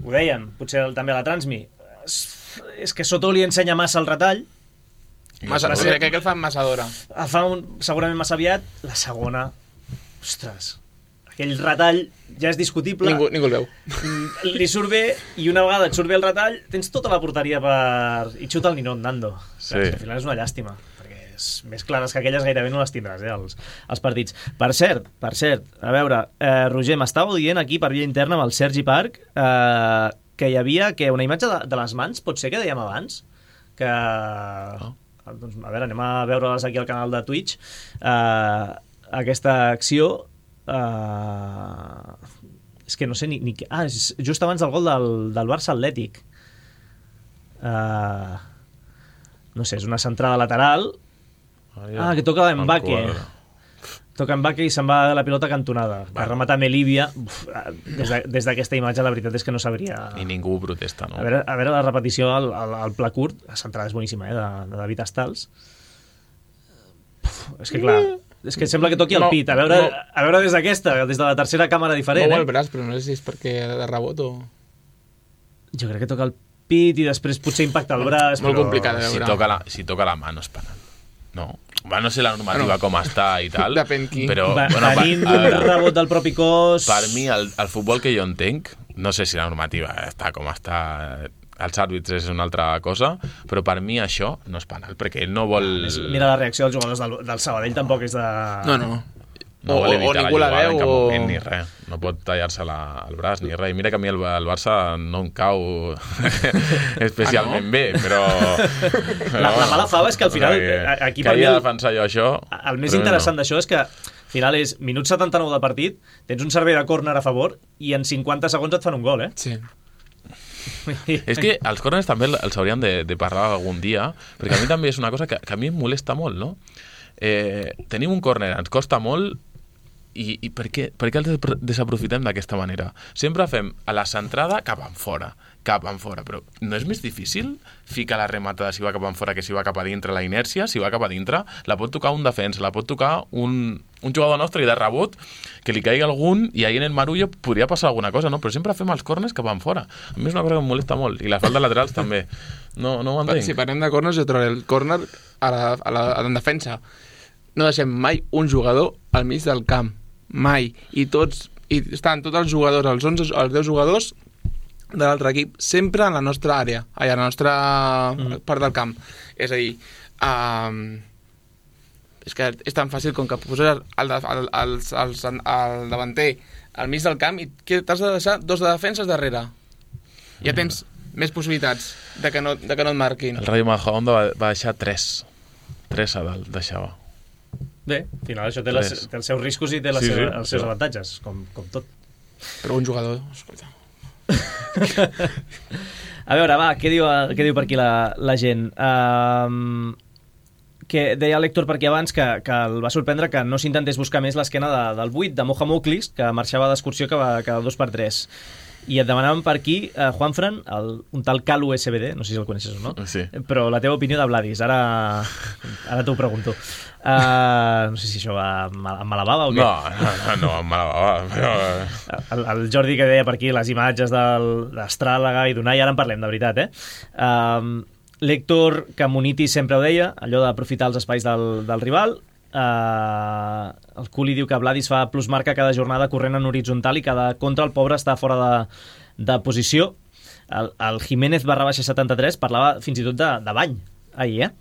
Ho deien, potser també a la Transmi. És, és que Soto li ensenya massa el retall,
Massa,
Va
sí,
ser-
crec que el fa massa d'hora.
el fa un, segurament massa aviat, la segona, ostres, aquell retall ja és discutible.
Ningú, ningú el veu.
Mm, li surt bé i una vegada et surt bé el retall tens tota la porteria per... i xuta el ninot, Nando.
Sí.
Al final és una llàstima perquè és més clares que aquelles gairebé no les tindràs, eh, els, els partits. Per cert, per cert, a veure, eh, Roger, m'estàveu dient aquí per via interna amb el Sergi Parc eh, que hi havia que una imatge de, de les mans, pot ser que dèiem abans que...
Oh.
Doncs, a veure, anem a veure-les aquí al canal de Twitch. Eh, aquesta acció eh, és que no sé ni... ni... Ah, és just abans del gol del, del Barça Atlètic. Eh, no sé, és una centrada lateral. Ah, que toca Mbacké. Toca Mbacké i se'n va la pilota cantonada. Va rematar Melívia. Uf, des de- des d'aquesta imatge la veritat és que no sabria...
I ningú protesta, no?
A veure, a veure la repetició al, al, al pla curt, la centrada és boníssima, eh, de, de David Astals. Puf, és que clar, és que sembla que toqui el
No,
pit. A veure,
no.
a veure des d'aquesta, des de la tercera càmera diferent,
Mou el
eh?
braç, però no sé si és perquè de rebot o...
Jo crec que toca el pit i després potser impacta el braç.
Molt
però...
complicat, eh?
Si
veure.
toca, la, si toca la mà no és penal. No. Va, no sé la normativa
Bueno,
com està i tal,
depèn qui.
però...
Va,
bueno,
venint
a
d'un
veure,
rebot del propi cos...
per mi, el, el futbol que jo entenc, no sé si la normativa està com està, els àrbitres és una altra cosa, però per mi això no és penal, perquè ell no vol...
Mira la reacció dels jugadors del, del Sabadell, tampoc és de...
No, no.
No
O-
vol
o
evitar la
ningú la
jugada en
veu
cap
o-
moment ni res. No pot tallar-se la, el braç ni res. I mira que a mi el, el Barça no em cau especialment
Ah, no?
bé, però...
La- la mala fava és que al final,
que,
aquí
que
per mi
havia
el-
de defensar jo això...
El més
però
interessant
no.
d'això és que al final és minut setanta-nou de partit, tens un servei de córner a favor i en cinquanta segons et fan un gol, eh?
Sí.
És que els córners també els hauríem de, de parlar algun dia, perquè a mi també és una cosa que, que a mi em molesta molt, no? Eh, tenim un córner, ens costa molt, i, i per, què, per què els despro- desaprofitem d'aquesta manera? Sempre fem a la centrada cap en fora, cap en fora, però no és més difícil ficar la rematada si va cap en fora que si va cap a dintre? La inèrcia, si va cap a dintre, la pot tocar un defensa, la pot tocar un, un jugador nostre i de rebot que li caigui algun i ahí en el marullo podria passar alguna cosa, no? Però sempre fem els corners cap en fora. A mi és una cosa que em molesta molt, i les faltes laterals també. No, no ho entenc.
Si parlem de corners, jo trobaré el córner a la, a la, a la defensa. No deixem mai un jugador al mig del camp. Mai. I tots, i estan tots els jugadors, els onze, els deu jugadors de l'altre equip, sempre en la nostra àrea, allà, a la nostra mm. part del camp. És a dir, um, és que és tan fàcil com que poses el, el, el, el, el, el davanter al mig del camp i que t'has de deixar dos de defenses darrere. Ja tens més possibilitats de que no, de que no et marquin.
El Rayo Majadahonda va, va deixar tres. Tres a dalt deixava.
Bé, al final això té, les,
Res.
té els seus riscos i té les
Sí, sí,
seves, els seus
sí.
avantatges, com, com tot.
Però un jugador, escolta.
A veure, va, què diu, què diu per aquí la, la gent? Um, que deia l'Héctor per aquí abans que, que el va sorprendre que no s'intentés buscar més l'esquena de, del vuit, de Moja Muklis, que marxava d'excursió cada, cada dos per tres. I et demanaven per aquí, eh, Juanfran, el, un tal Cal U S B D, no sé si el coneixes o no,
Sí.
però la teva opinió de Vladis, ara, ara t'ho pregunto. Uh, no sé si això va amb amb mala bava o què?
No, no, no, no amb mala bava, però...
El, el Jordi que deia per aquí les imatges d'Estràlaga i d'Unai, ara en parlem, de veritat, eh? Um, L'Héctor, que Munitis sempre ho deia, allò d'aprofitar els espais del, del rival. Uh, el Culi diu que Vladis fa plusmarca cada jornada corrent en horitzontal i cada contra el pobre està fora de, de posició. El, el Jiménez barra baixa setanta-tres parlava fins i tot de, de bany ahir, eh?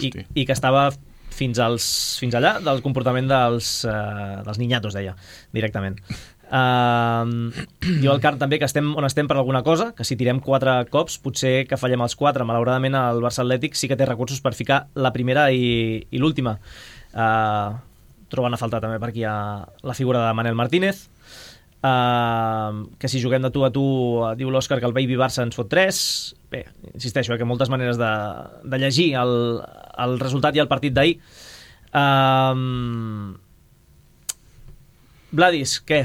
I,
Hosti.
i que estava fins, als, fins allà del comportament dels, uh, dels niñatos, deia, directament. Uh, diu el Carn també que estem on estem per alguna cosa, que si tirem quatre cops potser que fallem els quatre. Malauradament el Barça Atlètic sí que té recursos per ficar la primera i, i l'última. Uh, troben a faltar també per aquí a la figura de Manel Martínez. Uh, que si juguem de tu a tu, diu l'Òscar que el Baby Barça ens fot tres. Bé, insisteixo, eh, que moltes maneres de, de llegir el, el resultat i el partit d'ahir. uh, Vladis, què?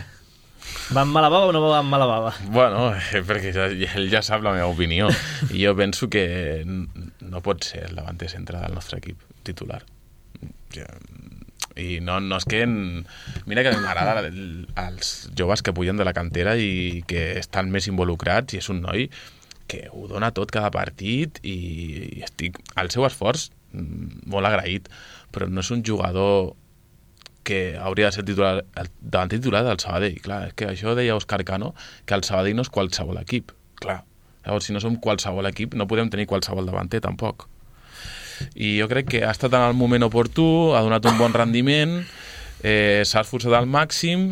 Va amb mala bava o no va amb mala bava?
Bueno, eh, perquè ja, ell ja sap la meva opinió i jo penso que no pot ser el davanter centre del nostre equip titular. Ja, i no, no és que mira que m'agrada els joves que pugen de la cantera i que estan més involucrats, i és un noi que ho dona tot cada partit i, i estic al seu esforç molt agraït, però no és un jugador que hauria de ser titular, el davanter titular del Sabadell. Clar, és que això deia Òscar Cano, que el Sabadell no és qualsevol equip. Clar, llavors si no som qualsevol equip no podem tenir qualsevol davanter tampoc. I jo crec que ha estat en el moment oportú, ha donat un bon rendiment, eh, s'ha esforçat al màxim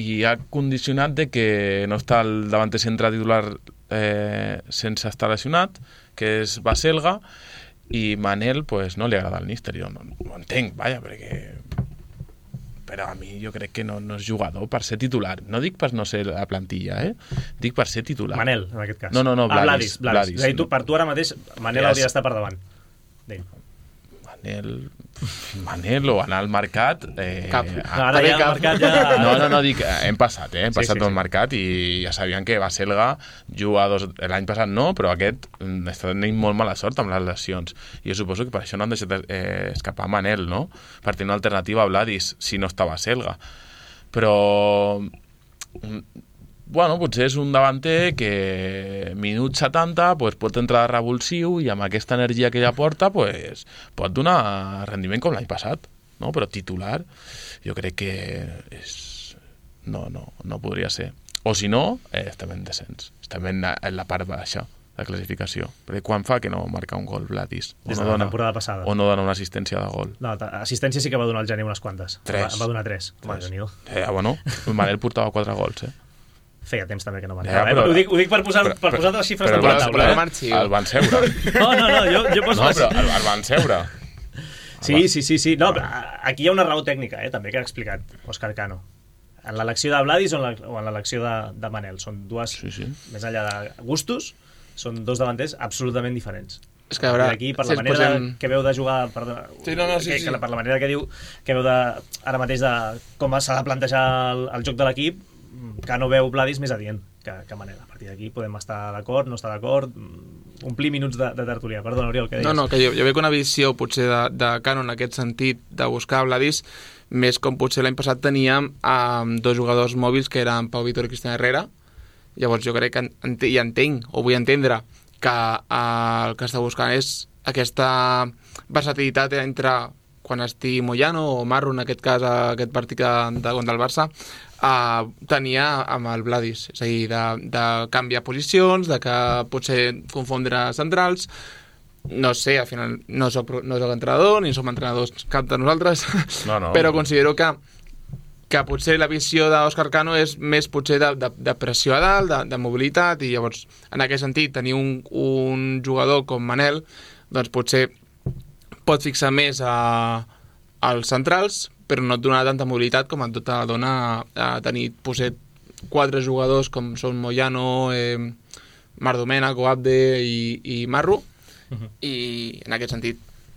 i ha condicionat de que no està el davanter centre titular eh, sense estar lesionat, que és Baselga, i Manel pues, no li agrada el míster. Jo no, no ho entenc, vaja, perquè... però a mi jo crec que no, no és jugador per ser titular. No dic per no ser la plantilla, eh? Dic per ser titular.
Manel, en aquest cas.
No, no, no,
ah,
Vladis.
Vladis, Vladis.
Vladis.
És a dir, tu, per tu ara mateix, Manel
Yes.
hauria d'estar per davant d'ell.
Manel... Manel o anar al mercat... Eh,
Cap.
No, ara ja el mercat ja...
No, no, no, dic, hem passat, eh? Hem
Sí,
passat
sí,
tot
sí.
el mercat i ja sabien que Baselga juga dos... L'any passat no, però aquest mm, està tenint molt mala sort amb les lesions. I jo suposo que per això no han deixat eh, escapar Manel, no? Per tenir una alternativa a Vladis, si no està Baselga. Però... Bueno, potser és un davanter que minut setanta pues, pot entrar de revulsiu i amb aquesta energia que ella porta pues, pot donar rendiment com l'any passat, no? Però titular jo crec que és... no, no, no podria ser. O si no, eh, estem en descens, estem en la, en la part baixa de classificació, perquè quan fa que no marca un gol Vladis? O
Des
no
de la
dona,
temporada passada.
o no dona una assistència de gol?
No, assistència sí que va donar al gener unes quantes.
Tres.
Va, va donar tres. Home,
Tres.
Déu-n'hi-do.
Eh, bueno, Manel portava quatre gols, eh?
Feia temps també que no van.
Ja,
Ja,
però-
ho, dic, ho dic per posar,
però-
per posar
però-
les xifres
però
damunt la
el
taula.
van-
Eh?
marxi.
El van seure.
No, no, no, jo, jo poso
No,
les...
però el, el van seure.
Sí, sí, sí, sí. No, però aquí hi ha una raó tècnica, eh, també, que ha explicat Òscar Cano. En l'elecció de Vladis o en la- o en l'elecció de, de Manel. Són dues,
Sí, sí.
més enllà de gustos, són dos davanters absolutament diferents.
És que, a veure,
I aquí, per
si
la
ens
manera
posem-
de, que veu de jugar... Perdona,
Sí, no, no, sí,
que,
sí.
que, per la manera que diu que veu de, ara mateix de com s'ha de plantejar el, el joc de l'equip, Cano veu Vladis més adient que, que Manel. A partir d'aquí podem estar d'acord, no estar d'acord, omplir minuts de, de tertúlia. Perdona, Oriol, què deies?
No, no, que jo, jo veig una visió potser de, de Cano en aquest sentit de buscar Vladis més com potser l'any passat teníem amb dos jugadors mòbils que eren Pau Vitor i Cristian Herrera. Llavors jo crec que ent i entenc, o vull entendre, que eh, el que està buscant és aquesta versatilitat entre quan estigui Moyano o Marro, en aquest cas aquest partit de, de contra el Barça, eh, tenia amb el Vladis, és a dir, de, de canviar posicions, de que potser confondre centrals. No sé, al final no soc, no soc entrenador, ni som entrenadors cap de nosaltres,
No, no.
però considero que que potser la visió d'Òscar Cano és més potser de, de, de pressió a dalt, de, de mobilitat, i llavors, en aquest sentit, tenir un, un jugador com Manel, doncs potser pot fixar més a, als centrals, però no et donarà tanta mobilitat com et dona, dona a tenir potser quatre jugadors com són Moyano, eh, Marc Domènech, Abde i, i Marro,
Uh-huh.
i en aquest sentit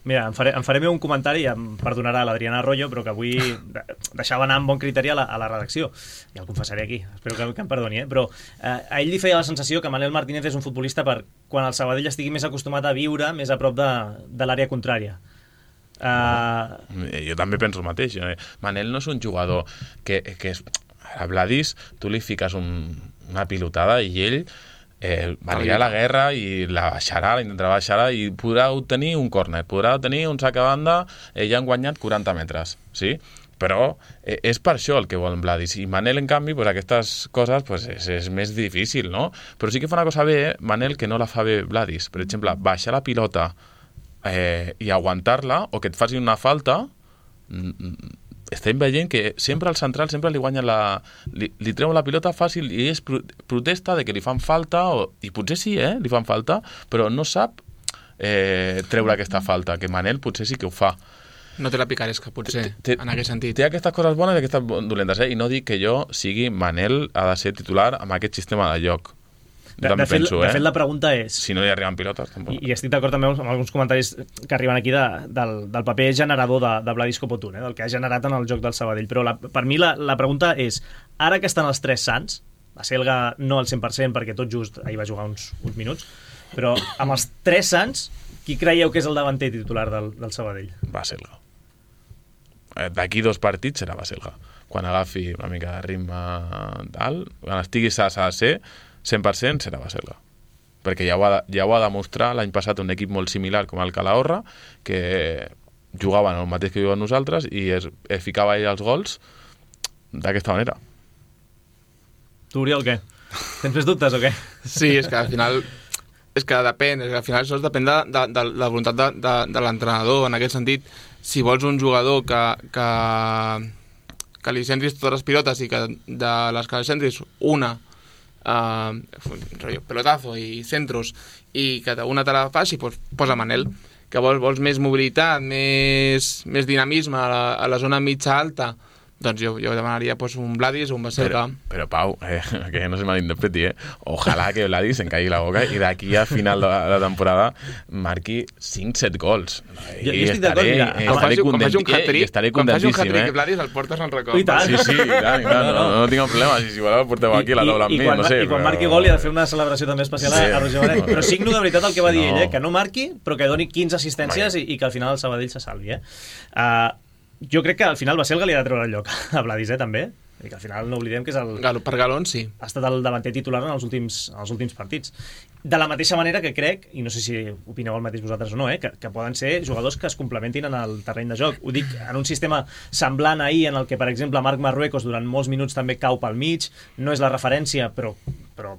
Mira, em faré, em faré meu un comentari, em perdonarà l'Adriana Arroyo, però que avui de- deixava anar amb bon criteri a la, a la redacció. Ja el confessaré aquí, espero que, que em perdoni, eh? Però eh, a ell li feia la sensació que Manel Martínez és un futbolista per quan el Sabadell estigui més acostumat a viure més a prop de, de l'àrea contrària. Uh,
Eh, Jo també penso el mateix. eh. Manel no és un jugador que, que és... A Vladis tu li fiques un, una pilotada i ell eh, anirà a la guerra i la baixarà, la intentarà baixar i podrà obtenir un córner, podrà obtenir un sac a banda, eh, ja han guanyat quaranta metres, sí? Però eh, és per això el que vol Vladis. I Manel, en canvi, pues, aquestes coses pues, és, és més difícil, no? Però sí que fa una cosa bé, eh? Manel, que no la fa bé Vladis. Per exemple, baixar la pilota eh, i aguantar-la, o que et facin una falta, estem veient que sempre al central sempre li guanyen la... li, li treuen la pilota fàcil i és protesta de que li fan falta, o, i potser sí, eh, li fan falta, però no sap eh, treure aquesta falta, que Manel potser sí que ho fa.
No té la picaresca, potser, té, en aquest sentit.
Té aquestes coses bones i aquestes dolentes, eh? I no dic que jo sigui Manel ha de ser titular amb aquest sistema de joc.
De, de, fet,
penso,
de
eh?
fet, la pregunta és...
Si no hi arriben pilotes, tampoc.
I, i estic d'acord també amb alguns comentaris que arriben aquí de, del, del paper generador de, de Vladis Copotun, eh? Del que ha generat en el joc del Sabadell. Però la, per mi la, la pregunta és, ara que estan els tres sants, la Selga no al cent per cent perquè tot just ahir va jugar uns, uns minuts, però amb els tres sants, qui creieu que és el davanter titular del, del Sabadell?
Va Selga. D'aquí dos partits serà Baselga. Quan agafi una mica de ritme tal, quan estigui a ser cent per cent serà Baselga. Perquè ja ho ha, ja ho ha demostrat l'any passat un equip molt similar com el Calahorra, que jugaven el mateix que juguen nosaltres i es, es ficava ell els gols d'aquesta manera.
Tu, Oriol, què? Tens més dubtes o què?
Sí, és que al final... És que depèn, és que al final això depèn de, de, de la voluntat de, de, de l'entrenador. En aquest sentit, si vols un jugador que, que, que li centris totes les pilotes i que de les que li centris una, uh, pelotazo i centros, i que una te la faci, pues, posa Manel. Que vols, vols més mobilitat, més, més dinamisme a la, a la zona mitja-alta, doncs jo, jo demanaria pues, un Vladis o un Baselga.
Però, però Pau, eh, que no se malinterpreti, eh? Ojalà que Vladis en caigui la boca i d'aquí a final de la temporada marqui cinc set gols. I
jo, jo estic d'acord, mira.
Eh, quan faci un hat-trick,
quan faci un hat-trick
eh?
Vladis el portes en record.
I tant.
Sí, sí, i tant, i tant, no, no, no, no tinc problema. Si, si voleu, porteu aquí I, la taula amb mi,
quan,
no sé.
I quan
però...
marqui gol hi ha de fer una celebració també especial sí. a Roger Benet. Però signo de veritat el que va dir no. ell, eh? Que no marqui, però que doni quinze assistències i, i que al final el Sabadell se salvi. Eh? Uh, Jo crec que al final Baselga li ha de treure el lloc a Vladis, eh, també. I que al final no oblidem que és el...
Galo, per galons, sí.
Ha estat el davanter titular en els últims, en els últims partits. De la mateixa manera que crec, i no sé si opineu el mateix vosaltres o no, eh, que, que poden ser jugadors que es complementin en el terreny de joc. Ho dic en un sistema semblant ahir en el que, per exemple, Marc Marruecos durant molts minuts també cau pel mig, no és la referència, però, però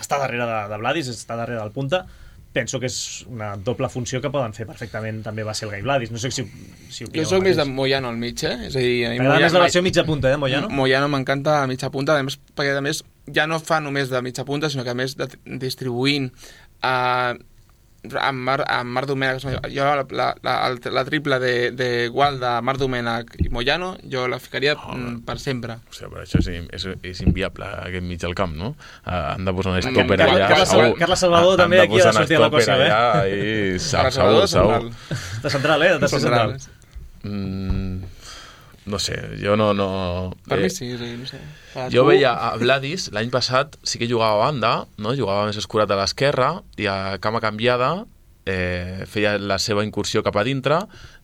està darrere de, de Vladis, està darrere del punta. Penso que és una doble funció que poden fer perfectament també Baselga i Vladis. No sé si, si
jo soc més de Moyano al mig, eh? És a dir,
M'agrada més la versió mitja punta, eh, Moyano?
Moyano m'encanta a mitja punta, a més, perquè a més ja no fa només de mitja punta, sinó que a més de, distribuint a... Uh, amb Marc Mar Domènech, jo la, la, la, la triple de, de Gual de Marc Domènech i Moyano, jo la ficaria oh, per sempre.
O sigui, però això és, és, és inviable, aquest mig al camp, no? Uh, han de posar un estòper
allà.
Carles,
Carles, Carles Salvador també aquí ha de sortir a l'equació, eh?
I segur, segur, segur.
De central, eh? De central.
Mm, no sé, jo no... no
per
eh,
mi sí, sí, no sé.
Jo veia a Vladis, l'any passat sí que jugava a banda, no? Jugava més escurat a l'esquerra i a cama canviada eh, feia la seva incursió cap a dintre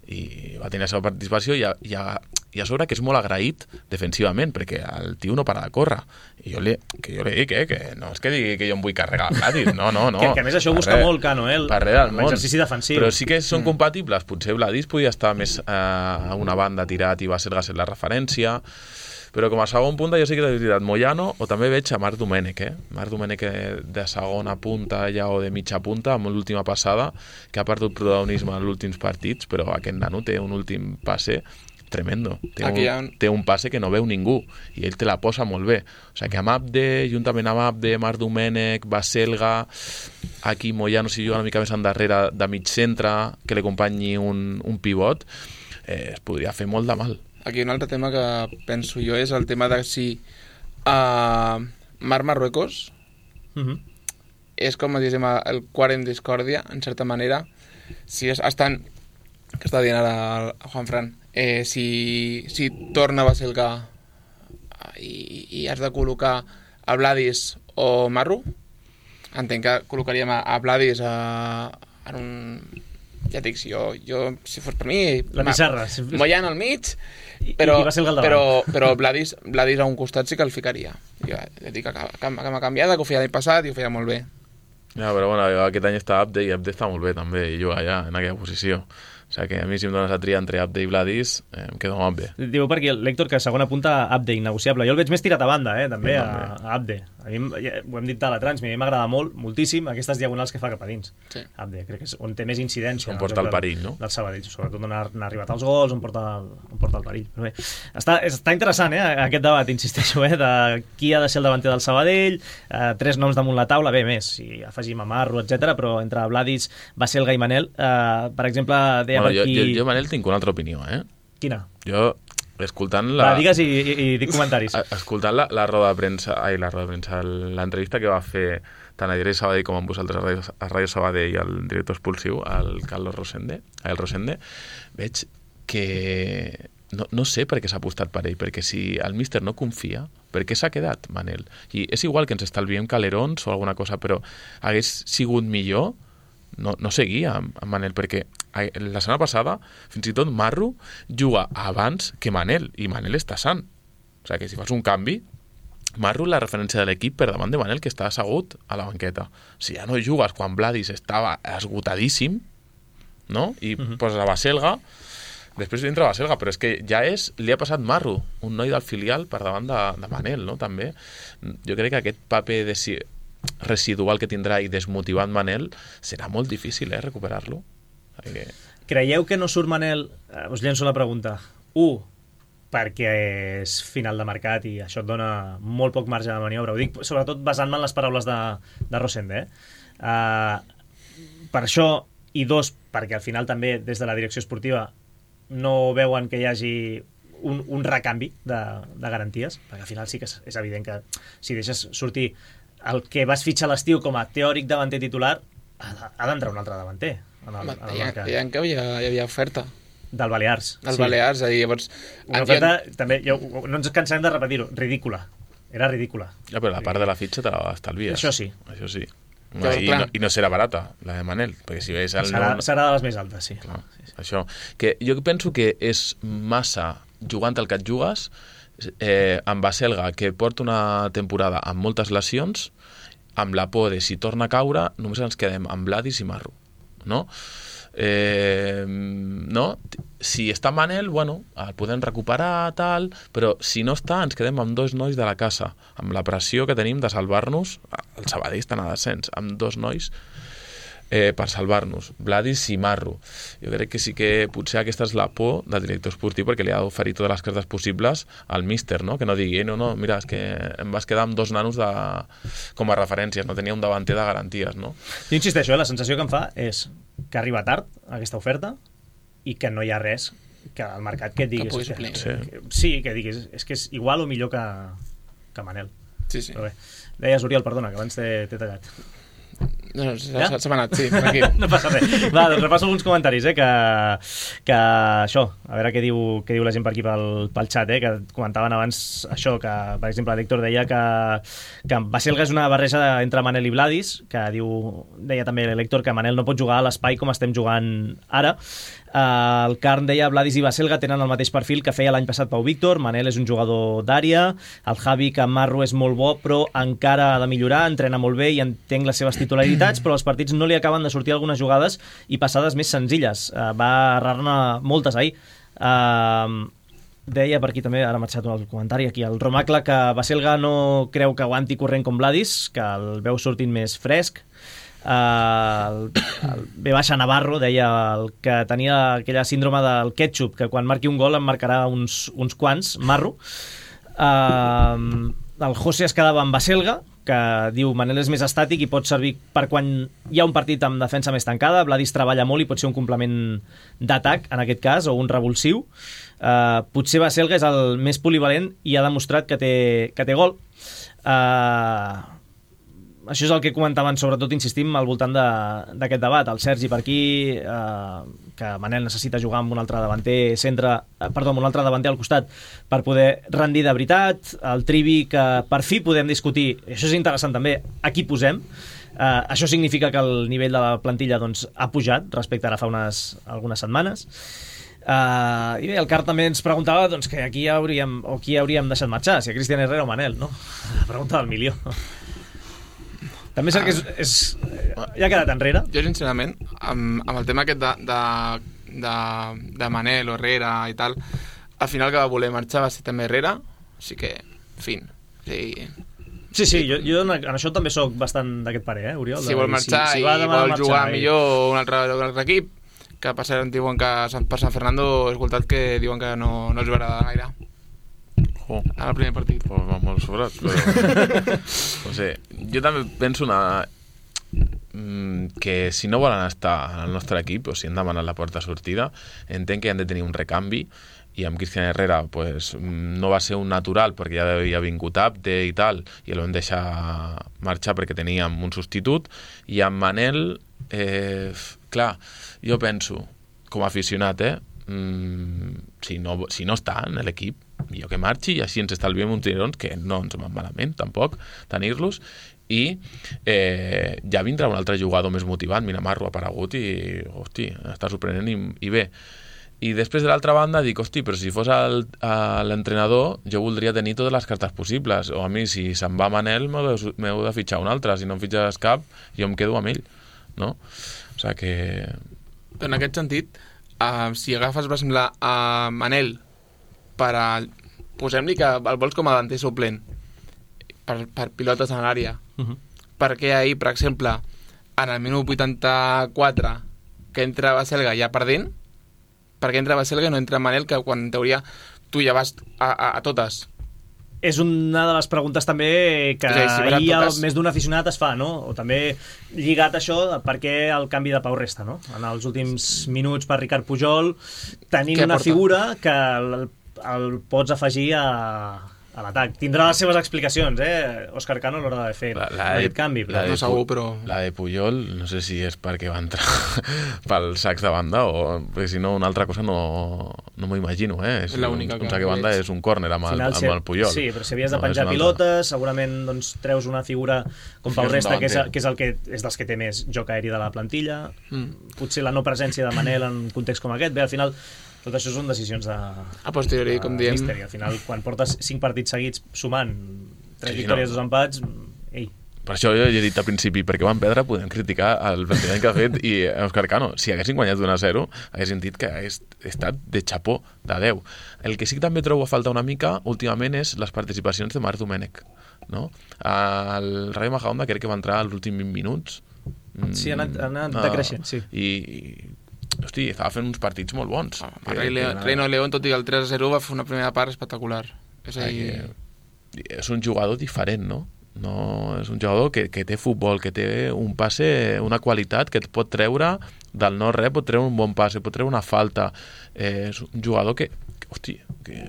i va tenir la seva participació i a, i, a, i a sobre que és molt agraït defensivament perquè el tio no para de córrer i jo li, que jo li dic eh, que no és que digui que jo em vull carregar Vladis, no, no, no
que, que a més això ho busca res, molt Cano, eh?
Per res del món,
l'exercici defensiu,
però sí que són mm. compatibles, potser Vladis podia estar més eh, a una banda tirat i va ser la referència. Però com a segon punta jo sí que he utilitzat Moyano o també veig a Marc Domènech, eh? Marc Domènech de segona punta ja o de mitja punta amb l'última passada que ha perdut protagonisme en els últims partits, però aquest nano té un últim passe tremendo. Té un, ha... té un passe que no veu ningú i ell te la posa molt bé. O sigui que amb Abde, juntament amb Abde, Marc Domènech, Baselga, aquí Moyano si juga una mica més endarrere de mig centre, que li acompanyi un, un pivot, eh, es podria fer molt de mal.
Aquí un altre tema que penso jo és el tema de si uh, Marc Marruecos uh-huh. és com diguem el quart en discòrdia, en certa manera, si es, estan, que està dient ara el Juan Fran, eh, si, si torna a Baselga i, i has de col·locar a Vladis o Marru, entenc que col·locaríem a, a Vladis a, en un... Ja dic, si jo, jo si fos per mi...
La pissarra.
Moyano al mig, però,
I, i
però, però Vladis, Vladis a un costat sí que el ficaria. Jo ja dic que m'ha canviat, que ho feia l'any passat i ho feia molt bé.
Ja, però bueno, aquest any està Abde i Abde està molt bé també i juga allà en aquella posició. O sigui que a mi si em dones a triar entre Abde i Vladis, eh, em quedo amb Abde.
Diu per aquí l'Héctor que segona punta Abde, innegociable. Jo el veig més tirat a banda, eh, també,
Sí,
a, a Abde. A mi, ja, ho hem dit de la trans, a mi m'agrada molt, moltíssim, aquestes diagonals que fa cap a dins.
Sí.
Abde, crec que és on té més incidència.
On porta el perill, no?
Del Sabadell, sobretot on ha, ha arribat als gols, on porta el, on porta el perill. Però bé, està, està interessant, eh, aquest debat, insisteixo, eh, de qui ha de ser el davanter del Sabadell, eh, tres noms damunt la taula, bé, més, si afegim a Marro, etcètera, però entre Vladis, Baselga i Manel, eh, per exemple, deia
Bueno,
per
jo,
aquí...
jo, jo, Manel, tinc una altra opinió, eh?
Quina?
Jo, escoltant la...
Va, digues i, i, i dic comentaris.
Escoltant la, la roda de premsa, ai, la roda de premsa, l'entrevista que va fer tant a Diari Sabadell com amb vosaltres a Ràdio, a Ràdio Sabadell i el director expulsiu, el Carlos Rosende, el Rosende, veig que no, no sé per què s'ha apostat per ell, perquè si el míster no confia, per què s'ha quedat Manel? I és igual que ens estalviem calerons o alguna cosa, però hagués sigut millor no, no seguir amb, amb Manel, perquè la setmana passada fins i tot Marro juga abans que Manel, i Manel està sant. O sigui que si fas un canvi, Marro la referència de l'equip per davant de Manel, que està assegut a la banqueta. Si ja no jugues quan Vladis estava esgotadíssim, no? I uh-huh. poses a Baselga, després entra Baselga, però és que ja és, li ha passat Marro, un noi del filial per davant de, de Manel, no? També. Jo crec que aquest paper de si, residual que tindrà i desmotivant Manel serà molt difícil, eh, recuperar-lo. Que...
Creieu que no surt Manel? Eh, us llenço la pregunta. Un, perquè és final de mercat i això et dona molt poc marge de maniobra. Ho dic sobretot basant-me en les paraules de, de Rosende. Eh? Uh, per això, i dos, perquè al final també des de la direcció esportiva no veuen que hi hagi un, un recanvi de, de garanties, perquè al final sí que és, és evident que si deixes sortir el que vas fitxar a l'estiu com a teòric davanter titular, ha, ha d'entrar un altre davanter en el, en el mercat.
Deien que hi havia, hi havia oferta.
Del Balears.
Del sí. Balears, és a dir, llavors...
Una oferta, en... també, jo, no ens cansarem de repetir-ho, ridícula. Era ridícula.
Ja, però la part de la fitxa te la estalvies.
Això sí.
Això sí.
Però,
I, no, I no serà barata, la de Manel, perquè si veus... El
serà,
nou...
serà de les més altes, sí.
Clar,
sí, sí.
Això. Que jo penso que és massa jugant el que et jugues, eh, amb Baselga, que porta una temporada amb moltes lesions, amb la por de si torna a caure, només ens quedem amb Vladis i Marro, no? Eh, no? Si està Manel, bueno, el podem recuperar, tal, però si no està, ens quedem amb dos nois de la casa, amb la pressió que tenim de salvar-nos, el Sabadell està a descens, amb dos nois eh, per salvar-nos, Vladis i Marro. Jo crec que sí que potser aquesta és la por del director esportiu, perquè li ha d'oferir totes les cartes possibles al míster, no? Que no digui, no, no, mira, és que em vas quedar amb dos nanos de... com a referències, no tenia un davanter de garanties, no?
Jo insisteixo, eh? La sensació que em fa és que arriba tard aquesta oferta i que no hi ha res que al mercat que et diguis
que
que,
sí.
que, sí, que diguis és que és igual o millor que, que Manel.
Sí, sí.
Però bé, deies Oriol, perdona, que abans t'he tallat.
No, no, s'ha
Ja?
ja? anat, sí, aquí.
No passa res. Va, doncs repasso alguns comentaris, eh, que, que això, a veure què diu, què diu la gent per aquí pel, pel xat, eh, que comentaven abans això, que per exemple l'Héctor deia que, que Baselga és una barreja entre Manel i Vladis, que diu, deia també l'Héctor que Manel no pot jugar a l'espai com estem jugant ara. Uh, el Carn deia Vladis i Baselga tenen el mateix perfil que feia l'any passat Pau Víctor. Manel és un jugador d'àrea. El Javi que Marro és molt bo però encara ha de millorar, entrena molt bé i entenc les seves titularitats, però els partits no li acaben de sortir algunes jugades i passades més senzilles. Uh, va errar-ne moltes ahir. Uh, deia per aquí també, ara m'ha eixat un comentari aquí, el Romacle, que Baselga no creu que aguanti corrent com Vladis, que el veu sortint més fresc. Uh, el, el B baixa Navarro deia el que tenia aquella síndrome del ketchup, que quan marqui un gol en marcarà uns, uns quants, Marro. Uh, el José es quedava amb Baselga, que diu Manel és més estàtic i pot servir per quan hi ha un partit amb defensa més tancada. Vladis treballa molt i pot ser un complement d'atac en aquest cas, o un revulsiu. Uh, potser Baselga és el més polivalent i ha demostrat que té, que té gol. uh, Això és el que comentaven, sobretot insistim al voltant d'aquest debat. El Sergi per aquí, eh, que Manel necessita jugar amb un altre davanter centre, eh, perdó, amb un altre davanter al costat per poder rendir de veritat. El Trivi, que per fi podem discutir, això és interessant també, a qui posem. Eh, això significa que el nivell de la plantilla doncs, ha pujat respecte ara fa unes, algunes setmanes. Uh, i bé, el Car també ens preguntava doncs, que aquí hauríem, o qui hauríem deixat marxar, si a Cristian Herrera o Manel, no? La pregunta del milió. També és cert que és, és, ja ha quedat enrere.
Jo, sincerament, amb, amb el tema aquest de, de, de, de Manel o Herrera i tal, al final que va voler marxar va ser també Herrera, així que, en fi, sí...
Sí, sí, jo, jo en això també sóc bastant d'aquest parer, eh, Oriol?
Si vol marxar si, si i vol marxar, jugar i... millor un altre, un altre equip, que per cert diuen que per Sant Fernando he escoltat que diuen que no, no els veurà gaire.
Oh.
En el primer partit.
Oh, va molt sobrat, però... no sé, jo també penso una... que si no volen estar en el nostre equip o si han demanat la porta sortida, entenc que han de tenir un recanvi i amb Cristian Herrera pues, no va ser un natural perquè ja havia vingut apte i tal i el vam deixar marxar perquè teníem un substitut i amb Manel eh, clar, jo penso com a aficionat eh, mmm, si, no, si no està en l'equip millor que marxi i així ens estalviem uns tirons que no ens van malament tampoc tenir-los i eh, ja vindrà un altre jugador més motivat, Minamarro ha aparegut i hosti, està sorprenent i, i bé i després de l'altra banda dic, hosti, però si fos l'entrenador jo voldria tenir totes les cartes possibles o a mi si se'n va Manel m'heu de, m'heu de fitxar un altre, si no em fitxes cap jo em quedo amb ell, no? O sigui que...
En aquest sentit uh, si agafes per exemple a Manel per a... posem-li que el vols com a davanter suplent per, per pilotes en l'àrea uh-huh. perquè ahir, per exemple en el minut vuitanta-quatre que entra Baselga ja perdent perquè entra Baselga i no entra Manel que quan en teoria tu ja vas a, a, a totes.
És una de les preguntes també que sí, si ahir totes... més d'un aficionat es fa, no? O també lligat a això per què el canvi de Pau Resta, no? En els últims minuts per Ricard Pujol tenint una figura que el, el pots afegir a... a l'atac. Tindrà les seves explicacions, eh? Òscar Cano a l'hora de fer la, la aquest canvi. Però...
no segur, però...
La de Pujol, no sé si és perquè va entrar pel sacs de banda o perquè si no una altra cosa no, no m'ho imagino, eh? És un, un sac de banda és un córner amb, el, amb el Pujol.
Sí, però si havies de penjar no, pilotes, segurament doncs, treus una figura com Pau Resta, que és, que, és, el que és dels que té més joc aeri de la plantilla. Mm. Potser la no presència de Manel en un context com aquest. Bé, al final... Tot això són decisions de...
A posteriori, com diem.
Misteri. Al final, quan portes cinc partits seguits sumant tres
sí,
victòries,
no.
dos empats... Ei.
Per això jo he dit al principi, perquè van perdre, podem criticar el plantejament que ha fet i Òscar Cano. Si haguessin guanyat un a zero, haguessin dit que hagués estat de xapó, de deu. El que sí que també trobo a falta una mica, últimament, és les participacions de Marc Domènech. No? El Rayo Majadahonda crec que va entrar als últims vint minuts.
Sí, ha anat, ha anat decreixent, sí.
I... hosti, estava fent uns partits molt bons.
Ah, que, Rei León, Reino León, tot i el tres a zero, va fer una primera part espectacular. És, a dir...
que, és un jugador diferent, no? No és un jugador que, que té futbol, que té un passe, una qualitat que et pot treure del no-res, pot treure un bon passe, pot treure una falta. Eh, és un jugador que, que hosti, que...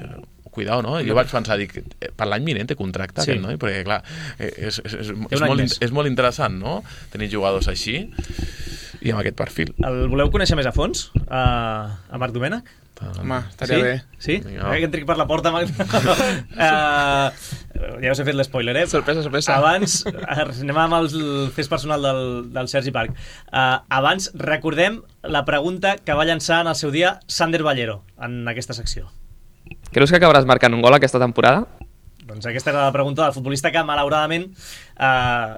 cuidao, no? Jo vaig pensar, dic, per l'any vinent té contracte sí. aquest noi, perquè clar, és, és, és, és, molt, és molt interessant, no? Tenir jugadors així i amb aquest perfil.
El voleu conèixer més a fons? A, a Marc Domènech?
Home, estaria
sí?
bé.
Sí? No. Eh, que entric per la porta, Marc. uh, ja us he fet l'espoiler, eh?
Sorpresa, sorpresa.
Abans, anem amb el fes personal del, del Sergi Parc. Uh, abans, recordem la pregunta que va llançar en el seu dia Sander Ballero en aquesta secció.
Creus que acabaràs marcant un gol aquesta temporada?
Doncs aquesta era la pregunta del futbolista que, malauradament, eh,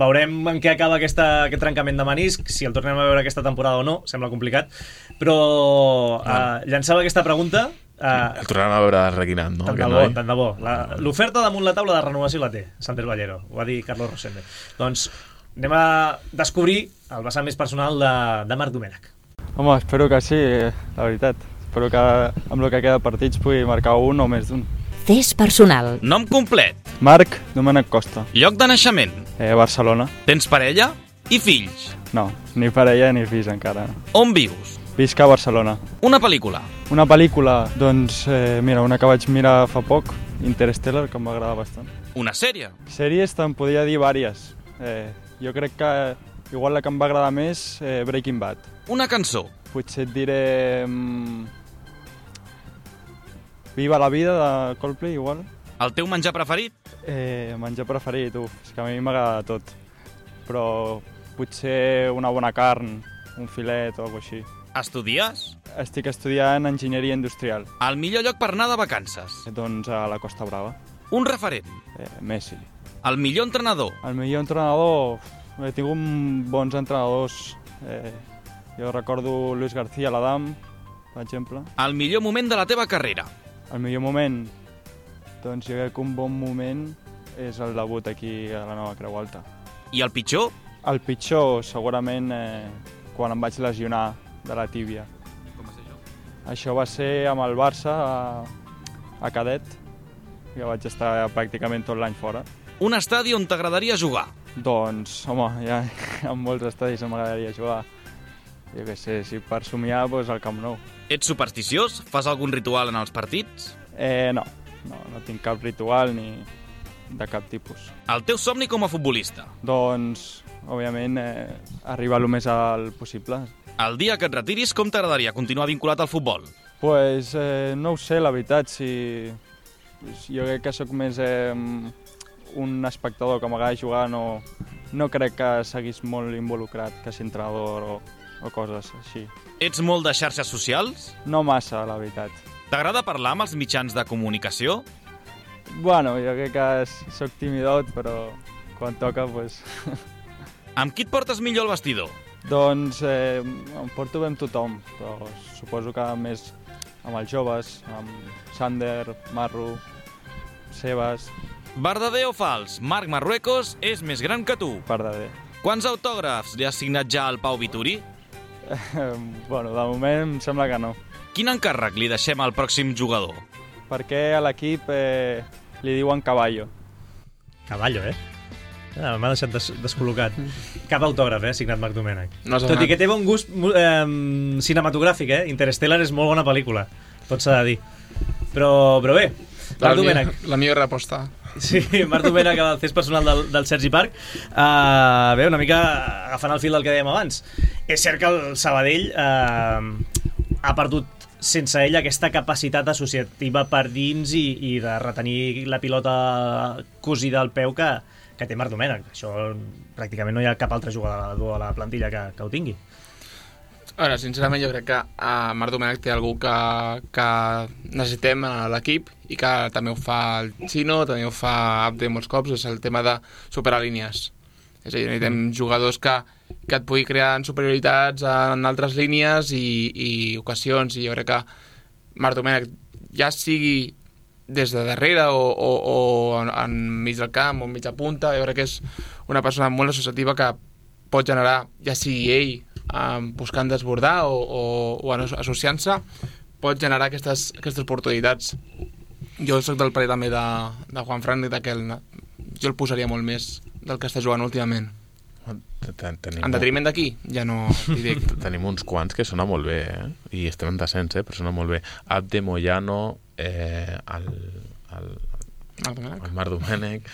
veurem en què acaba aquesta, aquest trencament de menisc, si el tornem a veure aquesta temporada o no, sembla complicat, però eh, llançava aquesta pregunta... Eh,
el tornarem a veure reguinant, no?
Tant de bo, tant de bo. L'oferta damunt la taula de renovació la té Sander Ballero, ho va dir Carlos Rosende. Doncs anem a descobrir el vessant més personal de, de Marc Domènech.
Home, espero que sí, la veritat. Espero que amb el que queda de partits pugui marcar un o més d'un.
Fes personal.
Nom complet.
Marc Domènech Costa.
Lloc de naixement.
Eh, Barcelona.
Tens parella i fills?
No, ni parella ni fills encara.
On vius?
Visc a Barcelona.
Una pel·lícula.
Una pel·lícula, doncs, eh, mira, una que vaig mirar fa poc, Interstellar, que em va agradar bastant.
Una sèrie.
Sèries te'n podria dir vàries. Eh, jo crec que igual la que em va agradar més, eh, Breaking Bad.
Una cançó.
Potser et diré... Mm, Viva la vida, de Coldplay, igual.
El teu menjar preferit?
Eh, menjar preferit, uf, és que a mi m'agrada tot. Però potser una bona carn, un filet o alguna cosa així.
Estudies?
Estic estudiant enginyeria industrial.
El millor lloc per anar de vacances?
Doncs a la Costa Brava.
Un referent?
Eh, Messi.
El millor entrenador?
El millor entrenador... He tingut bons entrenadors. Eh, Jo recordo Luis García, l'Adam, per exemple.
El millor moment de la teva carrera.
El millor moment? Doncs jo crec que un bon moment és el debut aquí a la Nova Creu Alta.
I el pitjor?
El pitjor, segurament, eh, quan em vaig lesionar de la tíbia.
Com va ser això?
Això va ser amb el Barça a, a Cadet, que vaig estar pràcticament tot l'any fora.
Un estadi on t'agradaria jugar?
Doncs, home, ja en molts estadis m'agradaria jugar. Jo què sé, si per somiar, doncs al Camp Nou.
Ets supersticiós? Fas algun ritual en els partits?
Eh, no, no, no tinc cap ritual ni de cap tipus.
El teu somni com a futbolista?
Doncs, òbviament, eh, arribar el més alt possible.
El dia que et retiris, com t'agradaria continuar vinculat al futbol?
Pues, eh, no ho sé, la veritat, si... Jo crec que sóc més eh, un espectador que m'agrada jugar, no, no crec que seguís molt involucrat, que si entrenador o, o coses així.
Ets molt de xarxes socials?
No massa, la veritat.
T'agrada parlar amb els mitjans de comunicació?
Bueno, jo crec que sóc timidot, però quan toca, doncs...
Amb qui et portes millor al vestidor?
Doncs eh, em porto bé amb tothom, però suposo que més amb els joves, amb Sander, Marru, Sebas...
Verdader o fals? Marc Marruecos és més gran que tu.
Verdader.
Quants autògrafs li has signat ja al Pau Vituri?
Eh, bueno, de moment em sembla que no.
Quin encàrrec li deixem al pròxim jugador?
Perquè a l'equip eh, li diuen Caballo.
Caballo, eh? Ah, m'ha deixat des descol·locat. Cap autògraf, eh, signat Marc Domènech.
No
Tot i que té bon gust eh, cinematogràfic, eh? Interstellar és molt bona pel·lícula, tot s'ha de dir. Però, però bé, Marc Domènech.
La millor reposta.
Sí, Marc Domènech, el cés personal del, del Sergi Parc. Uh, bé, una mica agafant el fil del que dèiem abans. És cert que el Sabadell uh, ha perdut sense ell aquesta capacitat associativa per dins i, i de retenir la pilota cosida al peu que, que té Marc Domènech. Això pràcticament no hi ha cap altre jugador de la plantilla que, que ho tingui.
A veure, sincerament jo crec que uh, Marc Domènech té algú que, que necessitem a l'equip i que també ho fa el Chino, també ho fa Abde molts cops, és el tema de superar línies. És a dir, necessitem mm. jugadors que, que et pugui crear superioritats en altres línies i, i ocasions, i jo crec que Marc Domènech, ja sigui des de darrere o, o, o enmig del camp o enmig de punta, jo crec que és una persona molt associativa que pot generar, ja sigui ell Um, buscant desbordar o, o, o associant-se, pot generar aquestes, aquestes oportunitats. Jo soc del parer també de, de Juanfran i d'aquell, jo el posaria molt més del que està jugant últimament. En detriment d'aquí, ja no diré.
Tenim uns quants que sona molt bé, eh? I estem en descens, eh? Però sona molt bé. Abde, Moyano, eh, el, el, el Marc Domènech.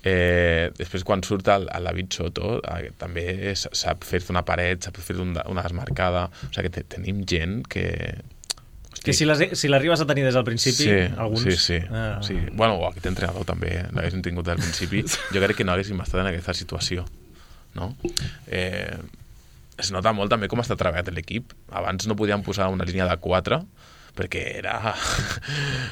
Eh, després, quan surt el, el David Soto, eh, també sap fer-te una paret, sap fer un, una desmarcada. O sigui que te, tenim gent que... Hosti.
Que si l'arribes a tenir des del principi,
sí,
alguns...
Sí, sí.
Ah.
sí. Bueno, o aquest entrenador també l'haguéssim tingut del principi. Jo crec que no haguéssim estat en aquesta situació. No? Eh, es nota molt també com està treballat l'equip. Abans no podíem posar una línia de quatre, perquè era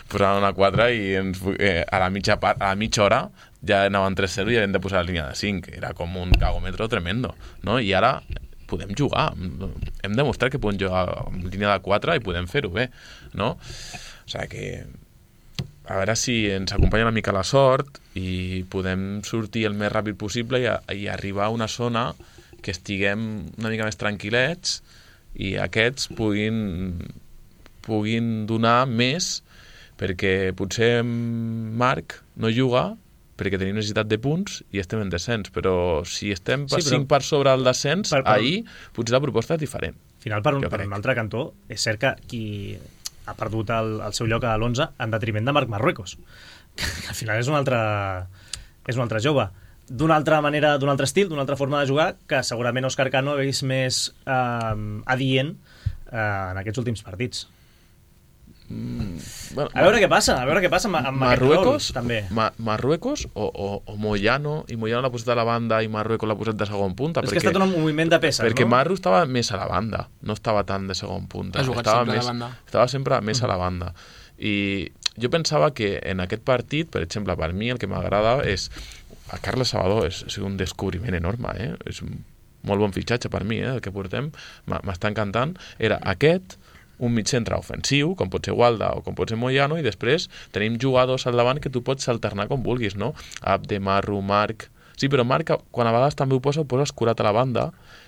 posar una quatre i ens, eh, a, la mitja part, a la mitja hora ja anaven tres zero i hem de posar la línia de cinc. Era com un cagòmetre tremendo, no? I ara podem jugar. Hem demostrat que podem jugar en línia de quatre i podem fer-ho bé, no? O sigui que a veure si ens acompanya una mica la sort i podem sortir el més ràpid possible i, a, i arribar a una zona que estiguem una mica més tranquil·lets i aquests puguin puguin donar més, perquè potser Marc no juga perquè tenim necessitat de punts i estem en descens, però si estem per sí, cinc per sobre el descens, per, per... ahir potser la proposta és diferent.
Al final, per un, per un altre cantó, és cert que qui ha perdut el, el seu lloc a l'onze en detriment de Marc Marruecos, que al final és un altre, és un altre jove. D'una altra manera, d'un altre estil, d'una altra forma de jugar, que segurament Òscar Cano hagués més eh, adient eh, en aquests últims partits.
Mm, bueno,
a veure què passa, a veure què passa amb, amb
Marruecos,
rol, també.
Ma, Marruecos o, o, o Moyano, i Moyano l'ha posat a la banda i Marruecos l'ha posat de segon punta.
És
perquè,
que ha estat un moviment de peces,
perquè
no?
Marru estava més a la banda, no estava tant de segon punta.
Ha jugat
estava
sempre
més,
a la banda.
Estava sempre més a la banda. I jo pensava que en aquest partit, per exemple, per mi el que m'agrada és... El Carles Salvador és, és un descobriment enorme, eh? És molt bon fitxatge per mi, eh, el que portem, m'està encantant, era aquest, un mig centre ofensiu, com pot ser Walda o com pot ser Moyano, i després tenim jugadors al davant que tu pots alternar com vulguis, no? Abde, Marru, Marc... Sí, però Marc, quan a vegades també ho posa, ho posa escurat a la banda,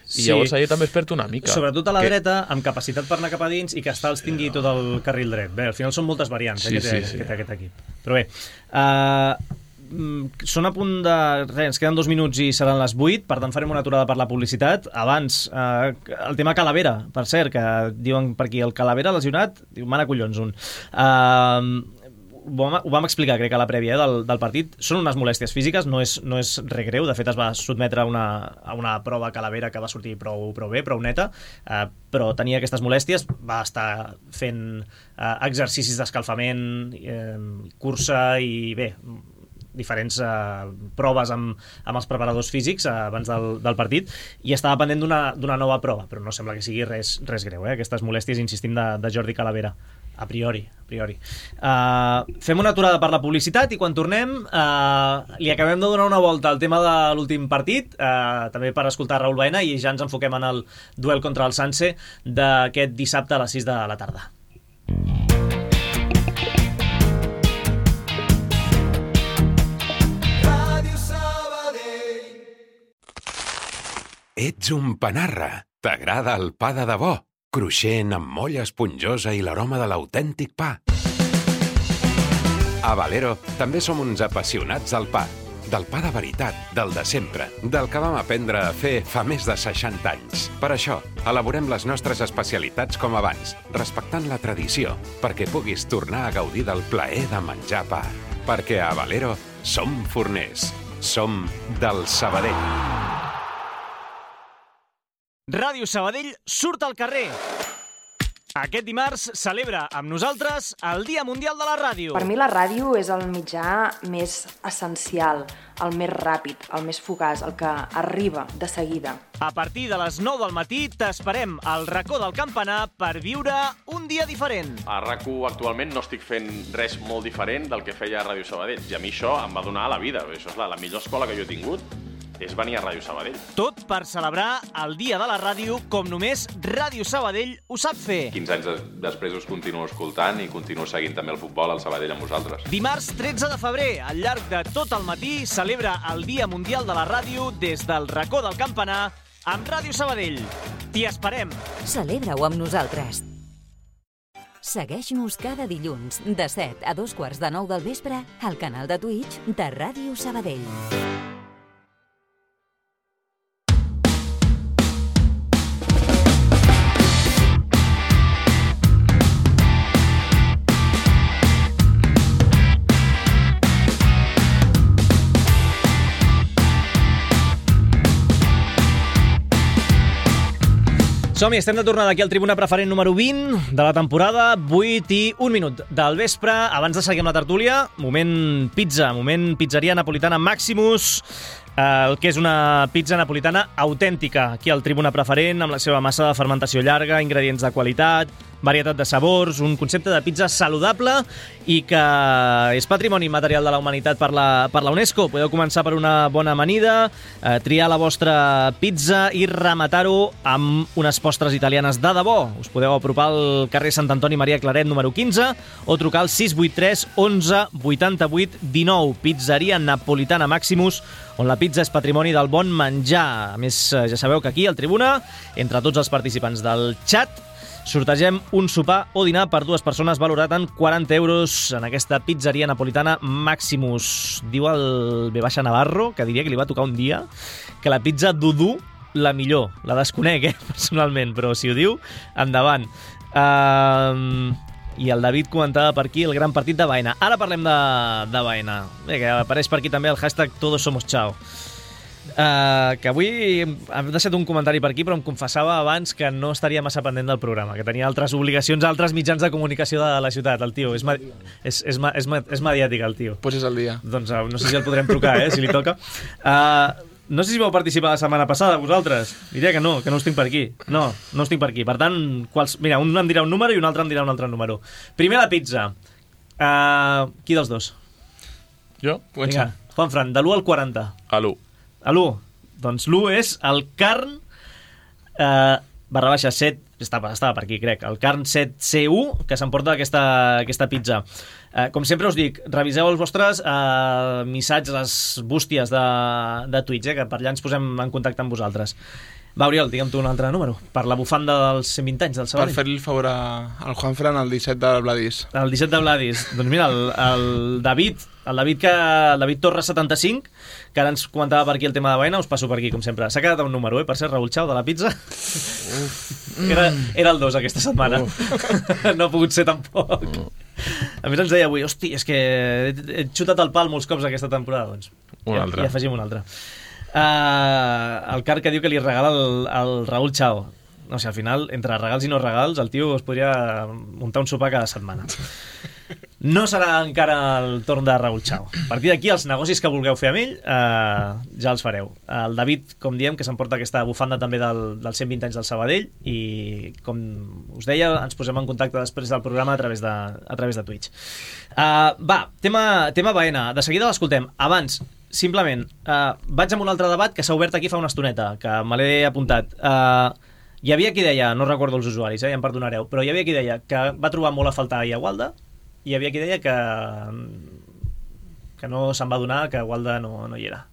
i sí. Llavors allà també es perd una mica.
Sobretot a la
que...
dreta, amb capacitat per anar cap a dins i que Stals tingui tot el carril dret. Bé, al final són moltes variants sí, eh, que, té, sí, sí. que té aquest equip. Però bé, uh, són a punt de... Res, ens queden dos minuts i seran les vuit, per tant farem una aturada per la publicitat. Abans, uh, el tema Calavera, per cert, que diuen per aquí, el Calavera lesionat, diu, mana collons, un... Uh, ho vam, ho vam explicar, crec, a la prèvia eh, del, del partit. Són unes molèsties físiques, no és, no és res greu. De fet, es va sotmetre a una, a una prova Calavera que va sortir prou, prou bé, prou neta, eh, però tenia aquestes molèsties, va estar fent eh, exercicis d'escalfament, eh, cursa i bé, diferents eh, proves amb, amb els preparadors físics eh, abans del, del partit, i estava pendent d'una nova prova, però no sembla que sigui res, res greu, eh, aquestes molèsties, insistim, de, de Jordi Calavera. A priori, a priori. Uh, fem una aturada per la publicitat i quan tornem uh, li acabem de donar una volta al tema de l'últim partit, uh, també per escoltar Raül Baena, i ja ens enfoquem en el duel contra el Sanse d'aquest dissabte a les sis de la tarda.
Ets un panarra. T'agrada el pa de debò? Cruixent, amb molla esponjosa i l'aroma de l'autèntic pa. A Valero també som uns apassionats del pa. Del pa de veritat, del de sempre, del que vam aprendre a fer fa més de seixanta anys. Per això, elaborem les nostres especialitats com abans, respectant la tradició, perquè puguis tornar a gaudir del plaer de menjar pa. Perquè a Valero som forners. Som del Sabadell.
Ràdio Sabadell surt al carrer. Aquest dimarts celebra amb nosaltres el Dia Mundial de la Ràdio.
Per mi la ràdio és el mitjà més essencial, el més ràpid, el més fugaç, el que arriba de seguida.
A partir de les nou del matí t'esperem al racó del campanar per viure un dia diferent.
A RAC u actualment no estic fent res molt diferent del que feia a Ràdio Sabadell, i a mi això em va donar la vida. Això és la, la millor escola que jo he tingut, és venir a Ràdio Sabadell.
Tot per celebrar el Dia de la Ràdio com només Ràdio Sabadell ho sap fer.
quinze anys des després us continuo escoltant i continuo seguint també el futbol al Sabadell amb vosaltres.
Dimarts tretze de febrer, al llarg de tot el matí, celebra el Dia Mundial de la Ràdio des del racó del campanar amb Ràdio Sabadell. T'hi esperem.
Celebra-ho amb nosaltres. Segueix-nos cada dilluns de set a dos quarts de nou del vespre al canal de Twitch de Ràdio Sabadell.
Som-hi, estem de tornada aquí al Tribuna Preferent número vint de la temporada, vuit i un minut del vespre. Abans de seguir amb la tertúlia, moment pizza, moment pizzeria napolitana Maximus, el que és una pizza napolitana autèntica, aquí al Tribuna Preferent, amb la seva massa de fermentació llarga, ingredients de qualitat, varietat de sabors, un concepte de pizza saludable i que és patrimoni material de la humanitat per la, per la UNESCO. Podeu començar per una bona amanida, eh, triar la vostra pizza i rematar-ho amb unes postres italianes de debò. Us podeu apropar al carrer Sant Antoni Maria Claret número quinze o trucar al sis vuit tres onze vuitanta-vuit dinou. Pizzeria Napolitana Maximus, on la pizza és patrimoni del bon menjar. A més, ja sabeu que aquí, al Tribuna, entre tots els participants del xat, sortegem un sopar o dinar per dues persones valorat en quaranta euros en aquesta pizzeria napolitana Maximus. Diu el B. Navarro, que diria que li va tocar un dia, que la pizza Dudu la millor. La desconec, eh, personalment, però si ho diu, endavant. Uh, I el David comentava per aquí el gran partit de Baena. Ara parlem de, de Baena. Bé, que apareix per aquí també el hashtag Todos Somos Chao. Uh, que avui hem deixat un comentari per aquí, però em confessava abans que no estaria massa pendent del programa, que tenia altres obligacions, altres mitjans de comunicació de la ciutat. El tio és, és, és, és, és mediàtic, el tio.
Pues és el dia.
Doncs uh, no sé si el podrem trucar, eh, si li toca. Uh, no sé si vau participar la setmana passada, vosaltres. Diria que no, que no us tinc per aquí. No, no us tinc per aquí. Per tant, quals... mira, un em dirà un número i un altre em dirà un altre número. Primer la pizza. Uh, qui dels dos?
Jo?
Vinga, Juanfran, de l'u al quaranta.
A l'u.
A l'u. Doncs l'u és el carn eh, barra baixa set, estava, estava per aquí, crec, el Carn set C u, que s'emporta aquesta, aquesta pizza. Eh, com sempre us dic, reviseu els vostres eh, missatges, les bústies de, de Twitch, eh, que per allà ens posem en contacte amb vosaltres. Va, Oriol, digue'm tu un altre número, per la bufanda dels cent vint anys del Sabadell.
Per fer-li el favor al Juanfran, el disset de Vladis.
El disset de Vladis. Doncs mira, el, el David, el David, que, el David Torres setanta-cinc, que ara ens comentava per aquí el tema de Baena, us passo per aquí, com sempre. S'ha quedat un número, eh, per ser Raúl Chao, de la pizza. Uf. Era, era el dos aquesta setmana. No ha pogut ser tampoc. A més ens deia avui, hosti, és que he xutat el pal molts cops aquesta temporada. Doncs
un
ja,
altre.
I afegim un altre. Uh, el Car que diu que li regala el, el Raúl Chao. No sé, al final, entre regals i no regals, el tio es podria muntar un sopar cada setmana. No serà encara el torn de Raúl Chao. A partir d'aquí, els negocis que vulgueu fer amb ell, uh, ja els fareu. El David, com diem, que s'emporta aquesta bufanda també del, dels cent vint anys del Sabadell, i, com us deia, ens posem en contacte després del programa a través de, a través de Twitch. Uh, va, tema, tema Baena. De seguida l'escoltem. Abans, simplement, uh, vaig amb un altre debat que s'ha obert aquí fa una estoneta, que me l'he apuntat. Uh, hi havia qui deia, no recordo els usuaris, eh, ja em perdonareu, però hi havia qui deia que va trobar molt a faltar ahir a Gualda, i hi havia qui deia que que no se'n va donar, que Gualda no, no hi era.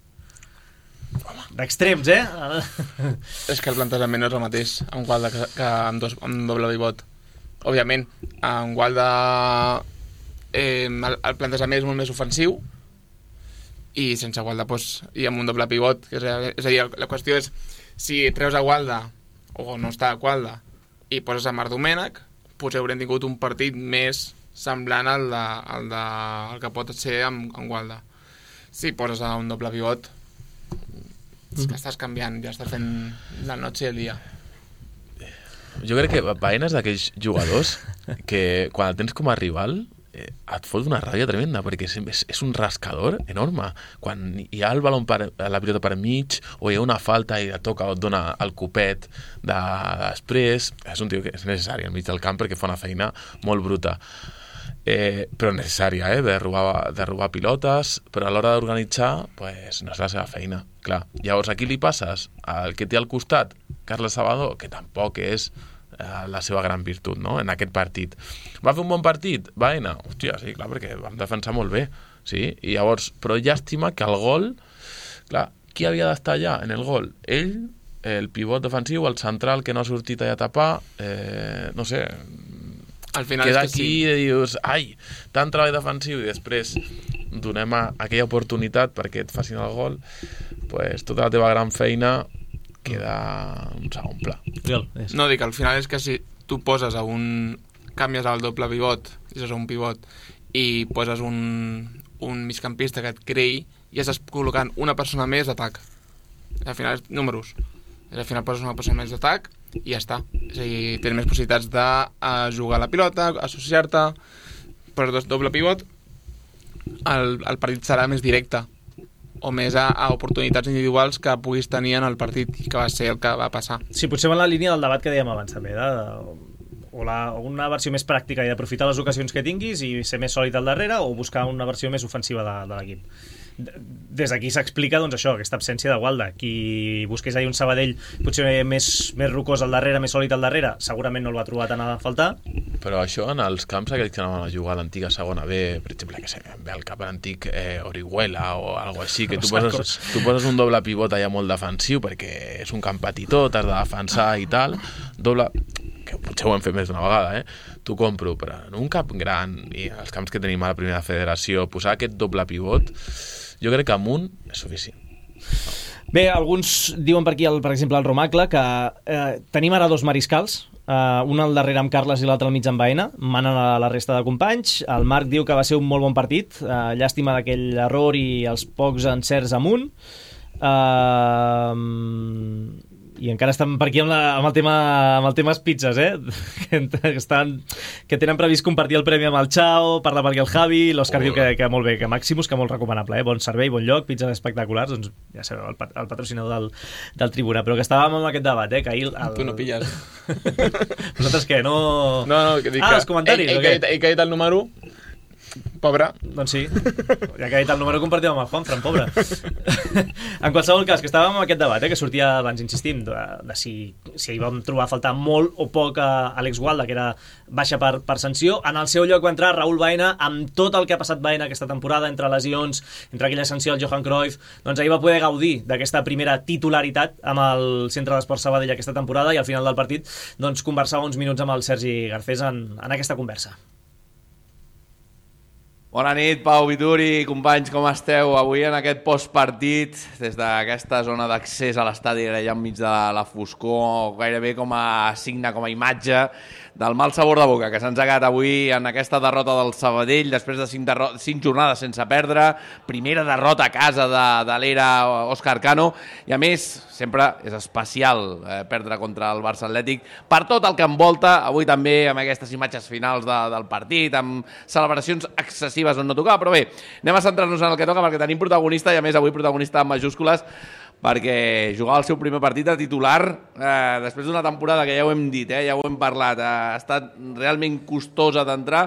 D'extrems, eh?
És que el plantejament no és el mateix amb Gualda que, que amb, dos, amb doble pivot. Òbviament, amb Gualda eh, el, el plantejament és molt més ofensiu, i sense Gualda doncs, i amb un doble pivot, que és, és a dir, la qüestió és si treus a Gualda o no està a Gualda i poses a Marc Domènech, doncs haurem tingut un partit més semblant al, de, al, de, al que pot ser amb, amb Gualda. Si poses a un doble pivot, és que estàs canviant, ja estàs fent la noche i el dia.
Jo crec que Baena és d'aquells jugadors que quan el tens com a rival eh, et fot una ràbia tremenda, perquè és, és, és un rascador enorme. Quan hi ha el balon per, la pilota per mig, o hi ha una falta i et toca o et dona el copet de, després, és un tio que és necessari al mig del camp perquè fa una feina molt bruta. Eh, però necessària, eh, de robar, de robar pilotes, però a l'hora d'organitzar pues, no és la seva feina, clar. Llavors aquí li passes al que té al costat Carles Salvador, que tampoc és eh, la seva gran virtut, no?, en aquest partit. Va fer un bon partit? Baena? Hòstia, sí, clar, perquè vam defensar molt bé, sí, i llavors, però llàstima que el gol, clar, qui havia d'estar allà en el gol? Ell, el pivot defensiu, el central que no ha sortit allà a tapar, eh, no sé,
al final
queda
és que
aquí
sí.
I dius, ai, tant treball defensiu i després donem a aquella oportunitat perquè et facin el gol, pues, tota la teva gran feina queda un segon pla.
No, dic, al final és que si tu poses a un... canvies el doble pivot, és un pivot, i poses un, un migcampista que et creï, i estàs col·locant una persona més d'atac. Al final és números. Al final poses una persona més d'atac i ja està. És a dir, tens més possibilitats de uh, jugar a la pilota, associar-te, per dos doble pivot, el, el partit serà més directe, o més a, a oportunitats individuals que puguis tenir en el partit, que va ser el que va passar.
Sí, potser va en la línia del debat que dèiem abans també, de, o, la, o una versió més pràctica i d'aprofitar les ocasions que tinguis i ser més sòlid al darrere, o buscar una versió més ofensiva de, de l'equip. Des d'aquí s'explica doncs, això, aquesta absència de Gualda. Qui busqués ahir un Sabadell potser més, més rocós al darrere, més sòlid al darrere, segurament no el va trobar tant a faltar.
Però això en els camps aquells que anaven a jugar a l'antiga segona B, per exemple, que sé, ve al cap l'antic eh, Orihuela o algo així, que tu poses, tu poses un doble pivot allà molt defensiu perquè és un camp petitó, t'has de defensar i tal, doble... que potser ho hem fet més d'una vegada, eh? T'ho compro, però en un camp gran i els camps que tenim a la primera federació, posar aquest doble pivot, jo crec que amb un és suficient.
Bé, alguns diuen per aquí, el, per exemple, el Romacle, que eh, tenim ara dos mariscals, eh, un al darrere amb Carles i l'altre al mig amb Baena, manen a la resta de companys. El Marc diu que va ser un molt bon partit, eh, llàstima d'aquell error i els pocs encerts amunt. Eh... I encara estan per aquí amb, la, amb, el tema, amb el tema pizzas, eh? Que, estan, que tenen previst compartir el premi amb el Chao, parla per aquí el Javi, l'Òscar diu que, que molt bé, que Maximus, que molt recomanable, eh? Bon servei, bon lloc, pizzas espectaculars, doncs ja sabeu, el, el patrocinador del, del Tribuna. Però que estàvem amb aquest debat, eh? Que ahir... El...
Tu no pilles.
Vosaltres què, no...
No, no, que dic
ah,
que...
els comentaris,
ell,
o què?
ell, ell que ha dit el número... Pobre.
Doncs sí, ja que ha dit el número compartit amb el Juanfran, pobre. En qualsevol cas, que estàvem amb aquest debat, eh, que sortia abans, insistim, de, de si, si hi vam trobar a faltar molt o poc a Alex Gualda, que era baixa per, per sanció. En el seu lloc va entrar Raúl Baena, amb tot el que ha passat Baena aquesta temporada, entre lesions, entre aquella sanció al Johan Cruyff, doncs ahir va poder gaudir d'aquesta primera titularitat amb el Centre d'Esports Sabadell aquesta temporada, i al final del partit doncs, conversava uns minuts amb el Sergi Garcés en, en aquesta conversa.
Bona nit, Pau Vituri, companys, com esteu? Avui en aquest postpartit, des d'aquesta zona d'accés a l'estadi, allà enmig de la foscor, gairebé com a signe, com a imatge del mal sabor de boca que se'ns ha quedat avui en aquesta derrota del Sabadell, després de cinc, cinc jornades sense perdre, primera derrota a casa de, de l'era Òscar Cano, i a més, sempre és especial eh, perdre contra el Barça Atlètic, per tot el que envolta, avui també amb aquestes imatges finals de, del partit, amb celebracions excessives on no tocava, però bé, anem a centrar-nos en el que toca, perquè tenim protagonista, i a més avui protagonista en majúscules, perquè jugava el seu primer partit de titular eh, després d'una temporada que ja ho hem dit, eh, ja ho hem parlat, eh, ha estat realment costosa d'entrar.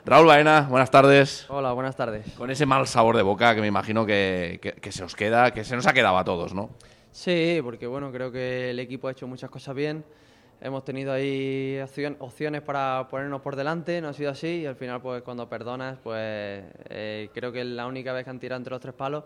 Raúl Baena, buenas tardes.
Hola, buenas tardes.
Con ese mal sabor de boca que me imagino que, que, que se os queda, que se nos ha quedado a todos, ¿no?
Sí, porque bueno, creo que el equipo ha hecho muchas cosas bien. Hemos tenido ahí opción, opciones para ponernos por delante, no ha sido así, y al final pues cuando perdonas, pues eh, creo que es la única vez que han tirado entre los tres palos,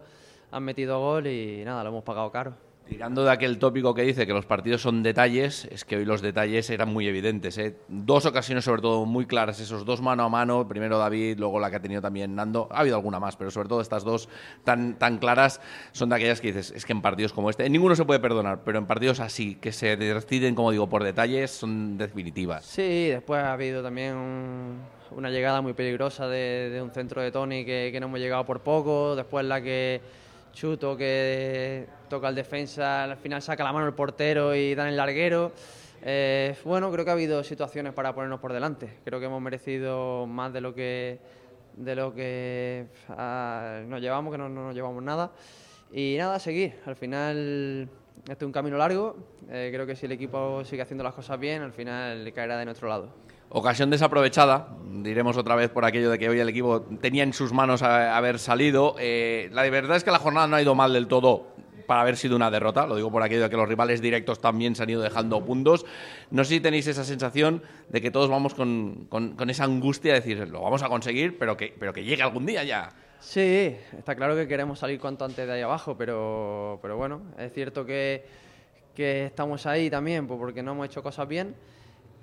han metido gol y nada, lo hemos pagado caro.
Tirando de aquel tópico que dice que los partidos son detalles, es que hoy los detalles eran muy evidentes, ¿eh? Dos ocasiones sobre todo muy claras, esos dos mano a mano, primero David, luego la que ha tenido también Nando, ha habido alguna más, pero sobre todo estas dos tan, tan claras son de aquellas que dices, es que en partidos como este, en ninguno se puede perdonar, pero en partidos así, que se deciden, como digo, por detalles, son definitivas.
Sí, después ha habido también un, una llegada muy peligrosa de, de un centro de Toni que, que no hemos llegado por poco, después la que Chuto que toca el defensa, al final saca la mano el portero y dan el larguero. Eh, bueno, creo que ha habido situaciones para ponernos por delante. Creo que hemos merecido más de lo que de lo que uh, nos llevamos, que no, no nos llevamos nada. Y nada, a seguir. Al final este es un camino largo. Eh, creo que si el equipo sigue haciendo las cosas bien, al final caerá de nuestro lado.
Ocasión desaprovechada, diremos otra vez por aquello de que hoy el equipo tenía en sus manos a, a haber salido. Eh, la verdad es que la jornada no ha ido mal del todo para haber sido una derrota, lo digo por aquello de que los rivales directos también se han ido dejando puntos. No sé si tenéis esa sensación de que todos vamos con, con, con esa angustia de decir, lo vamos a conseguir, pero que, pero que llegue algún día ya.
Sí, está claro que queremos salir cuanto antes de ahí abajo, pero, pero bueno, es cierto que, que estamos ahí también pues porque no hemos hecho cosas bien.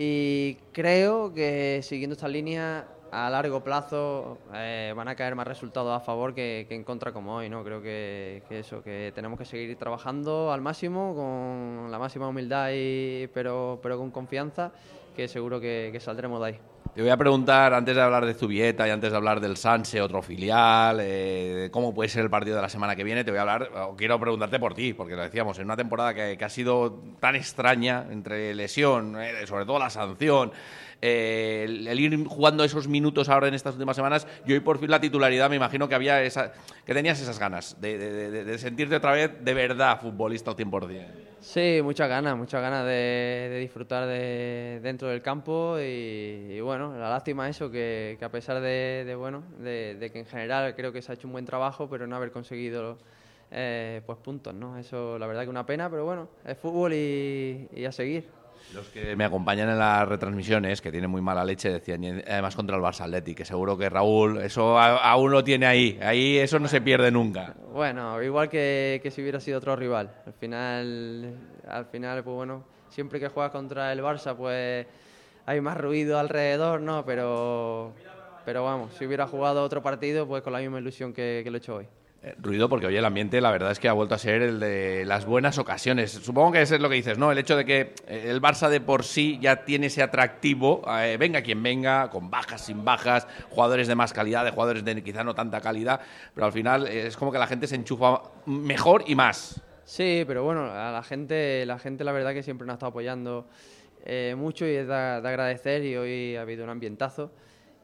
Y creo que siguiendo esta línea a largo plazo eh, van a caer más resultados a favor que, que en contra como hoy, ¿no? Creo que, que eso, que tenemos que seguir trabajando al máximo, con la máxima humildad, y, pero, pero con confianza, que seguro que, que saldremos de ahí.
Te voy a preguntar, antes de hablar de Zubieta y antes de hablar del Sanse, otro filial, eh, cómo puede ser el partido de la semana que viene, te voy a hablar, o quiero preguntarte por ti, porque lo decíamos, en una temporada que, que ha sido tan extraña, entre lesión, eh, sobre todo la sanción, eh, el, el ir jugando esos minutos ahora en estas últimas semanas, y hoy por fin la titularidad, me imagino que había esa, que tenías esas ganas de, de, de, de sentirte otra vez de verdad futbolista al cien por cien.
Sí, muchas ganas, muchas ganas de, de disfrutar de, dentro del campo y, y bueno, la lástima eso, que, que a pesar de, de bueno, de, de que en general creo que se ha hecho un buen trabajo, pero no haber conseguido eh, pues puntos, ¿no? Eso la verdad que una pena, pero bueno, es fútbol y, y a seguir.
Los que me acompañan en las retransmisiones, que tienen muy mala leche, decían, y además contra el Barça Athletic, que seguro que Raúl, eso aún lo tiene ahí, ahí eso no se pierde nunca.
Bueno, igual que, que si hubiera sido otro rival, al final, al final, pues bueno, siempre que juegas contra el Barça, pues hay más ruido alrededor, ¿no? Pero, pero vamos, si hubiera jugado otro partido, pues con la misma ilusión que, que lo he hecho hoy.
Eh, ruido porque hoy el ambiente la verdad es que ha vuelto a ser el de las buenas ocasiones. Supongo que eso es lo que dices, ¿no? El hecho de que el Barça de por sí ya tiene ese atractivo, eh, venga quien venga, con bajas, sin bajas, jugadores de más calidad, de jugadores de quizá no tanta calidad, pero al final eh, es como que la gente se enchufa mejor y más.
Sí, pero bueno, a la gente, la gente la verdad que siempre nos ha estado apoyando eh, mucho y es de, de agradecer, y hoy ha habido un ambientazo.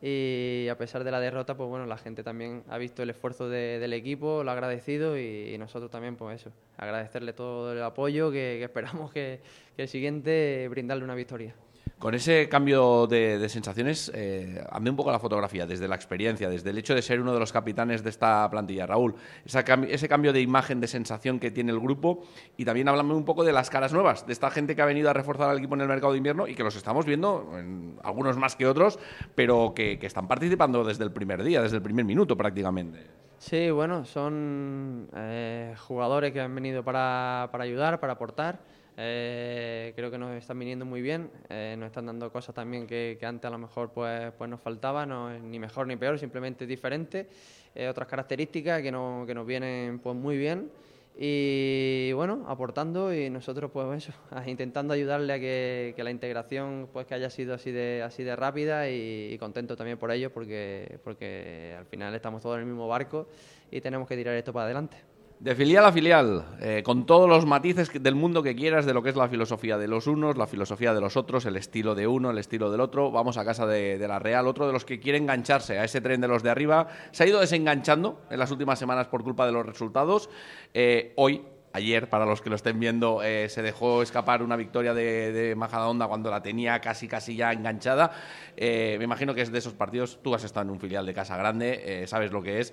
Y a pesar de la derrota, pues bueno, la gente también ha visto el esfuerzo de, del equipo, lo ha agradecido, y, y nosotros también, pues eso, agradecerle todo el apoyo, que, que esperamos que, que el siguiente brindarle una victoria.
Con ese cambio de, de sensaciones, eh, hazme un poco la fotografía, desde la experiencia, desde el hecho de ser uno de los capitanes de esta plantilla. Raúl, esa cam- ese cambio de imagen, de sensación que tiene el grupo, y también háblame un poco de las caras nuevas, de esta gente que ha venido a reforzar al equipo en el mercado de invierno y que los estamos viendo, en, algunos más que otros, pero que, que están participando desde el primer día, desde el primer minuto prácticamente.
Sí, bueno, son eh, jugadores que han venido para, para ayudar, para aportar. Eh, creo que nos están viniendo muy bien, eh, nos están dando cosas también que, que antes a lo mejor pues, pues nos faltaba, no es ni mejor ni peor, simplemente diferente, eh, otras características que, no, que nos vienen pues muy bien y bueno, aportando y nosotros pues eso, intentando ayudarle a que, que la integración pues que haya sido así de, así de rápida y, y contento también por ello porque, porque al final estamos todos en el mismo barco y tenemos que tirar esto para adelante.
De filial a filial, eh, con todos los matices del mundo que quieras de lo que es la filosofía de los unos, la filosofía de los otros, el estilo de uno, el estilo del otro. Vamos a casa de, de la Real, otro de los que quiere engancharse a ese tren de los de arriba. Se ha ido desenganchando en las últimas semanas por culpa de los resultados. Eh, hoy, ayer, para los que lo estén viendo, eh, se dejó escapar una victoria de, de Majadahonda cuando la tenía casi casi ya enganchada. Eh, me imagino que es de esos partidos, tú has estado en un filial de Casa Grande, eh, sabes lo que es,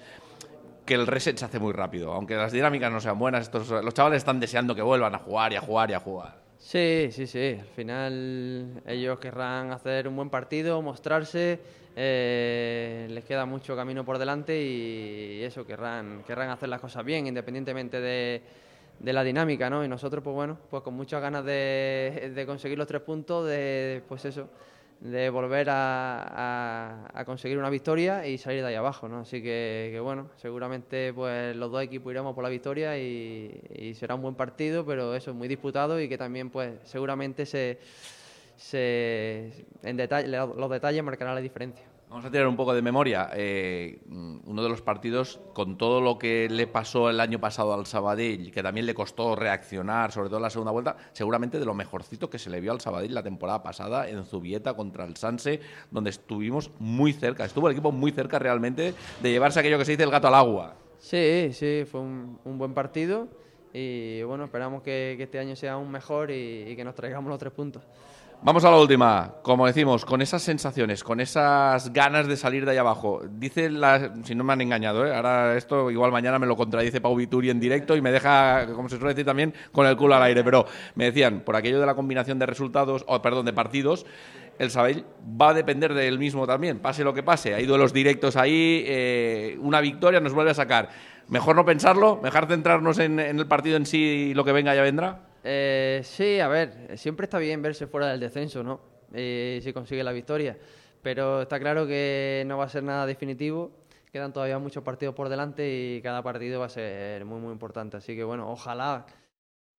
que el reset se hace muy rápido. Aunque las dinámicas no sean buenas, estos, los chavales están deseando que vuelvan a jugar y a jugar y a jugar.
Sí, sí, sí. Al final ellos querrán hacer un buen partido, mostrarse, eh, les queda mucho camino por delante y eso, querrán, querrán hacer las cosas bien, independientemente de, de la dinámica, ¿no? Y nosotros, pues bueno, pues con muchas ganas de, de conseguir los tres puntos, de pues eso, de volver a, a, a conseguir una victoria y salir de ahí abajo, ¿no? Así que, que bueno, seguramente pues los dos equipos iremos por la victoria y, y será un buen partido, pero eso es muy disputado y que también pues seguramente se, se en detalle, los detalles marcarán la diferencia.
Vamos a tirar un poco de memoria. Eh, uno de los partidos, con todo lo que le pasó el año pasado al Sabadell, que también le costó reaccionar, sobre todo en la segunda vuelta, seguramente de lo mejorcito que se le vio al Sabadell la temporada pasada en Zubieta contra el Sanse, donde estuvimos muy cerca, estuvo el equipo muy cerca realmente de llevarse aquello que se dice el gato al agua.
Sí, sí, fue un, un buen partido y bueno, esperamos que, que este año sea aún mejor y, y que nos traigamos los tres puntos.
Vamos a la última, como decimos, con esas sensaciones, con esas ganas de salir de ahí abajo. Dice, la, si no me han engañado, ¿eh? Ahora esto igual mañana me lo contradice Pau Vituri en directo y me deja, como se suele decir también, con el culo al aire. Pero me decían, por aquello de la combinación de resultados, o perdón, de partidos, el Sabadell va a depender del mismo también, pase lo que pase. Hay duelos directos ahí, eh, una victoria nos vuelve a sacar. Mejor no pensarlo, mejor centrarnos en, en el partido en sí y lo que venga ya vendrá.
Eh, sí, a ver, siempre está bien verse fuera del descenso, ¿no? Eh, si consigue la victoria, pero está claro que no va a ser nada definitivo, quedan todavía muchos partidos por delante y cada partido va a ser muy muy importante, así que bueno, ojalá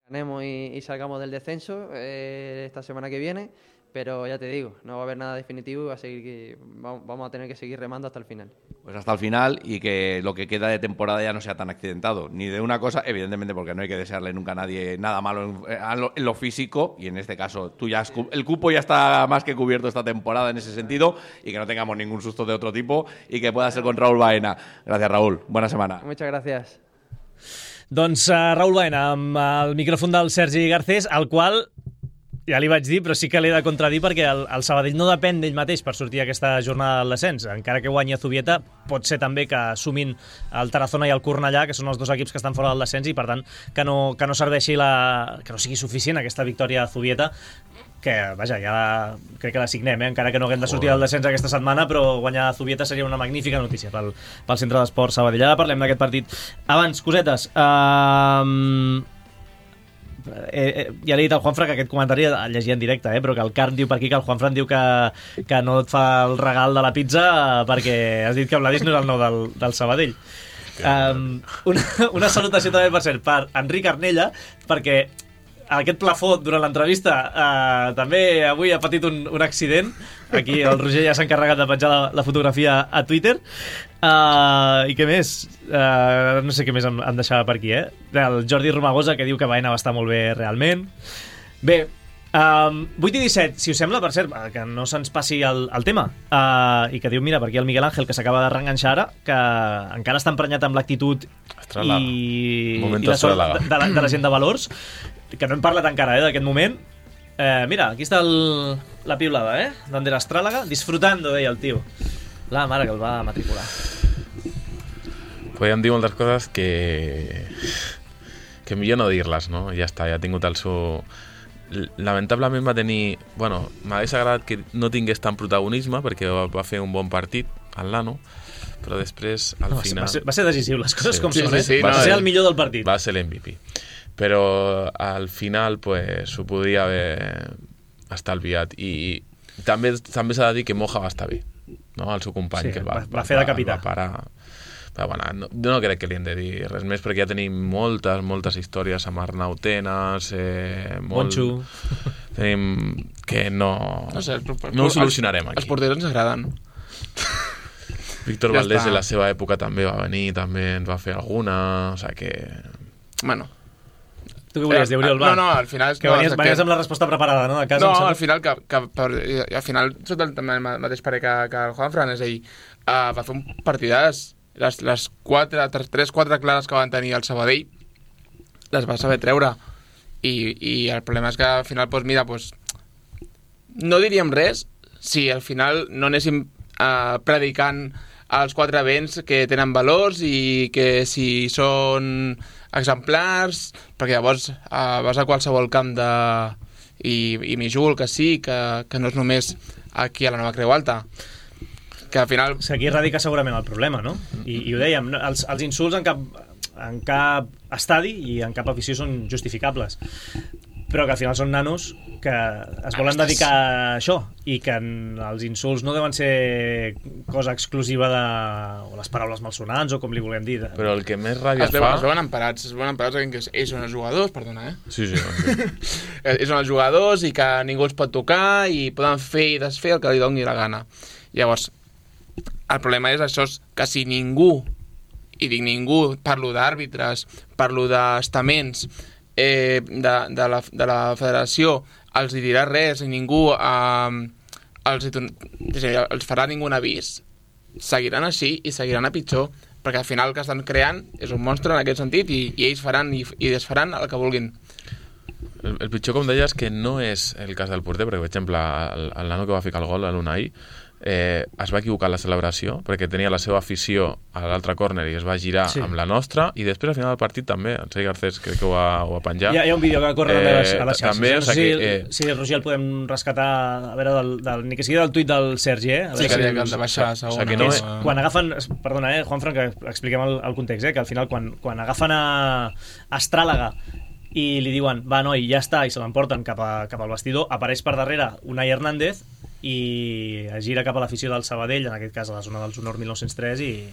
ganemos y, y salgamos del descenso eh, esta semana que viene, pero ya te digo, no va a haber nada definitivo y va a seguir, vamos a tener que seguir remando hasta el final.
Pues hasta el final y que lo que queda de temporada ya no sea tan accidentado, ni de una cosa, evidentemente porque no hay que desearle nunca a nadie nada malo en, en, lo, en lo físico, y en este caso tú ya has, el cupo ya está más que cubierto esta temporada en ese sentido, y que no tengamos ningún susto de otro tipo y que pueda ser con Raúl Baena. Gracias, Raúl. Buena semana.
Muchas gracias.
Doncs uh, Raúl Baena amb el micròfon del Sergi Garcés, al qual ja li vaig dir, però sí que l'he de contradir perquè el, el Sabadell no depèn d'ell mateix per sortir aquesta jornada del descens. Encara que guanyi a Zubieta, pot ser també que sumin el Tarazona i el Cornellà, que són els dos equips que estan fora del descens, i per tant que no, que no serveixi la, que no sigui suficient aquesta victòria a Zubieta, que, vaja, ja crec que la signem, eh? Encara que no haguem de sortir del descens aquesta setmana, però guanyar a Zubieta seria una magnífica notícia pel, pel Centre d'Esports Sabadell. Ara parlem d'aquest partit. Abans, cosetes... Uh... Eh, eh, ja li he dit al Juanfran que aquest comentari el llegia en directe, eh, però que el Carn diu per aquí que el Juanfran diu que, que no et fa el regal de la pizza perquè has dit que Vladis no és el nou del, del Sabadell. Um, una, una salutació també, per cert, per Enric Arnella, perquè aquest plafó durant l'entrevista uh, també avui ha patit un, un accident. Aquí el Roger ja s'ha encarregat de penjar la, la fotografia a Twitter. Uh, I què més? Uh, no sé què més em, em deixava per aquí, eh? El Jordi Romagosa, que diu que Baena va estar molt bé realment. Bé, um, vuit i disset, si us sembla, per cert, que no se'ns passi el, el tema, uh, i que diu, mira, per aquí el Miguel Ángel, que s'acaba de reenganxar ara, que encara està emprenyat amb l'actitud i, i la sort de, de, la, de la gent de Valors, que no hem parlat encara, eh, d'aquest moment. Eh, mira, aquí està el, la piulada, eh? D'Ander Astrálaga, disfrutando, deia el tio. La mare que el va matricular.
Podríem dir moltes coses que... que millor no dir-les, no? Ja està, ja ha tingut el seu... Lamentablement va tenir... Bueno, m'hagués agradat que no tingués tant protagonisme perquè va, va fer un bon partit al Lano, però després, al
no,
final...
Va ser, va ser decisiu, les coses
sí,
com
sí,
són,
sí,
eh?
sí,
Va
no,
ser
eh?
el millor del partit.
Va ser l'M V P. Però al final, pues, ho podia haver estalviat. I també també s'ha de dir que Moja va estar bé, no? El seu company,
sí,
que va,
va, va fer de capità.
Va parar... Però, bueno, no, no crec que li hem de dir res més perquè ja tenim moltes, moltes històries amb Arnau Tenas, eh, molt...
Monxo.
Tenim que no...
No sé,
no ho solucionarem aquí.
Els porters ens agraden.
Víctor
Ja
Valdés
està.
en la seva època també va venir, també ens va fer alguna, o sigui que...
Bueno.
Tu què volies dir, Oriol? Va.
No, no, al final...
Que
no,
venies,
exacte.
venies amb la resposta preparada, no? De casa,
No,
em
al final, que, que per, al final sóc del també el mateix parer que, que el Juanfran, és a dir, uh, va fer un partidàs. Les, les quatre, tres, quatre clares que van tenir el Sabadell les va saber treure. I, i el problema és que al final, doncs, mira, doncs, no diríem res si al final no anéssim uh, predicant els quatre vents que tenen valors i que si són exemplars, perquè llavors uh, vas a qualsevol camp de... i, i Mijul, que sí, que, que no és només aquí a la Nova Creu Alta, que al final...
O sigui, aquí radica segurament el problema, no? I, i ho dèiem, no? els, els insults en cap, en cap estadi i en cap afició són justificables, però que al final són nanos que es volen dedicar a això i que en, els insults no deuen ser cosa exclusiva de... o les paraules malsonants o com li volem dir. De...
Però el que més ràbia
es
fa...
veuen, es veuen emparats, es veuen emparats que ells són els jugadors, perdona, eh?
Sí, sí. sí.
ells són els jugadors i que ningú els pot tocar i poden fer i desfer el que li doni la gana. Llavors, el problema és això, que si ningú, i dic ningú, parlo d'àrbitres, parlo d'estaments, eh, de, de, la, de la federació, els hi dirà res i ningú eh, els, els farà ningú avís, seguiran així i seguiran a pitjor, perquè al final el que estan creant és un monstre en aquest sentit i, i ells faran i, i desfaran el que vulguin.
El, el pitjor, com deies, que no és el cas del porter, perquè, per exemple, el, el nano que va ficar el gol, l'Unai, eh, es va equivocar en la celebració, perquè tenia la seva afició a l'altre córner i es va girar sí. amb la nostra, i després al final del partit també, en Sergi Garcés crec que ho va, ho va penjar.
Hi ha, hi ha un vídeo que va córrer eh, a les xarxes.
També,
no sé
o sigui,
si,
eh,
si el Roger el podem rescatar, a veure, del, del, ni que sigui del tuit del Sergi, eh? A
sí, que havia de baixar a segona. O sigui, que no és,
quan agafen, perdona, eh, Juanfran, que expliquem el, el context, eh, que al final quan, quan agafen a Astrálaga i li diuen, va, noi, ja està, i se l'emporten cap, a, cap al vestidor, apareix per darrere Unai Hernández i es gira cap a l'afició del Sabadell, en aquest cas a la zona dels Honor mil nou-cents tres, i,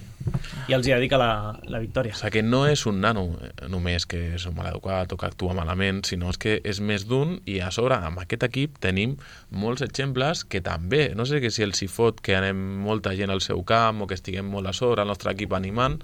i els hi dedica la, la victòria.
O sigui que no és un nano només que és un maleducat o que actua malament, sinó és que és més d'un, i a sobre amb aquest equip tenim molts exemples que també, no sé que si els hi fot que anem molta gent al seu camp o que estiguem molt a sobre, el nostre equip animant,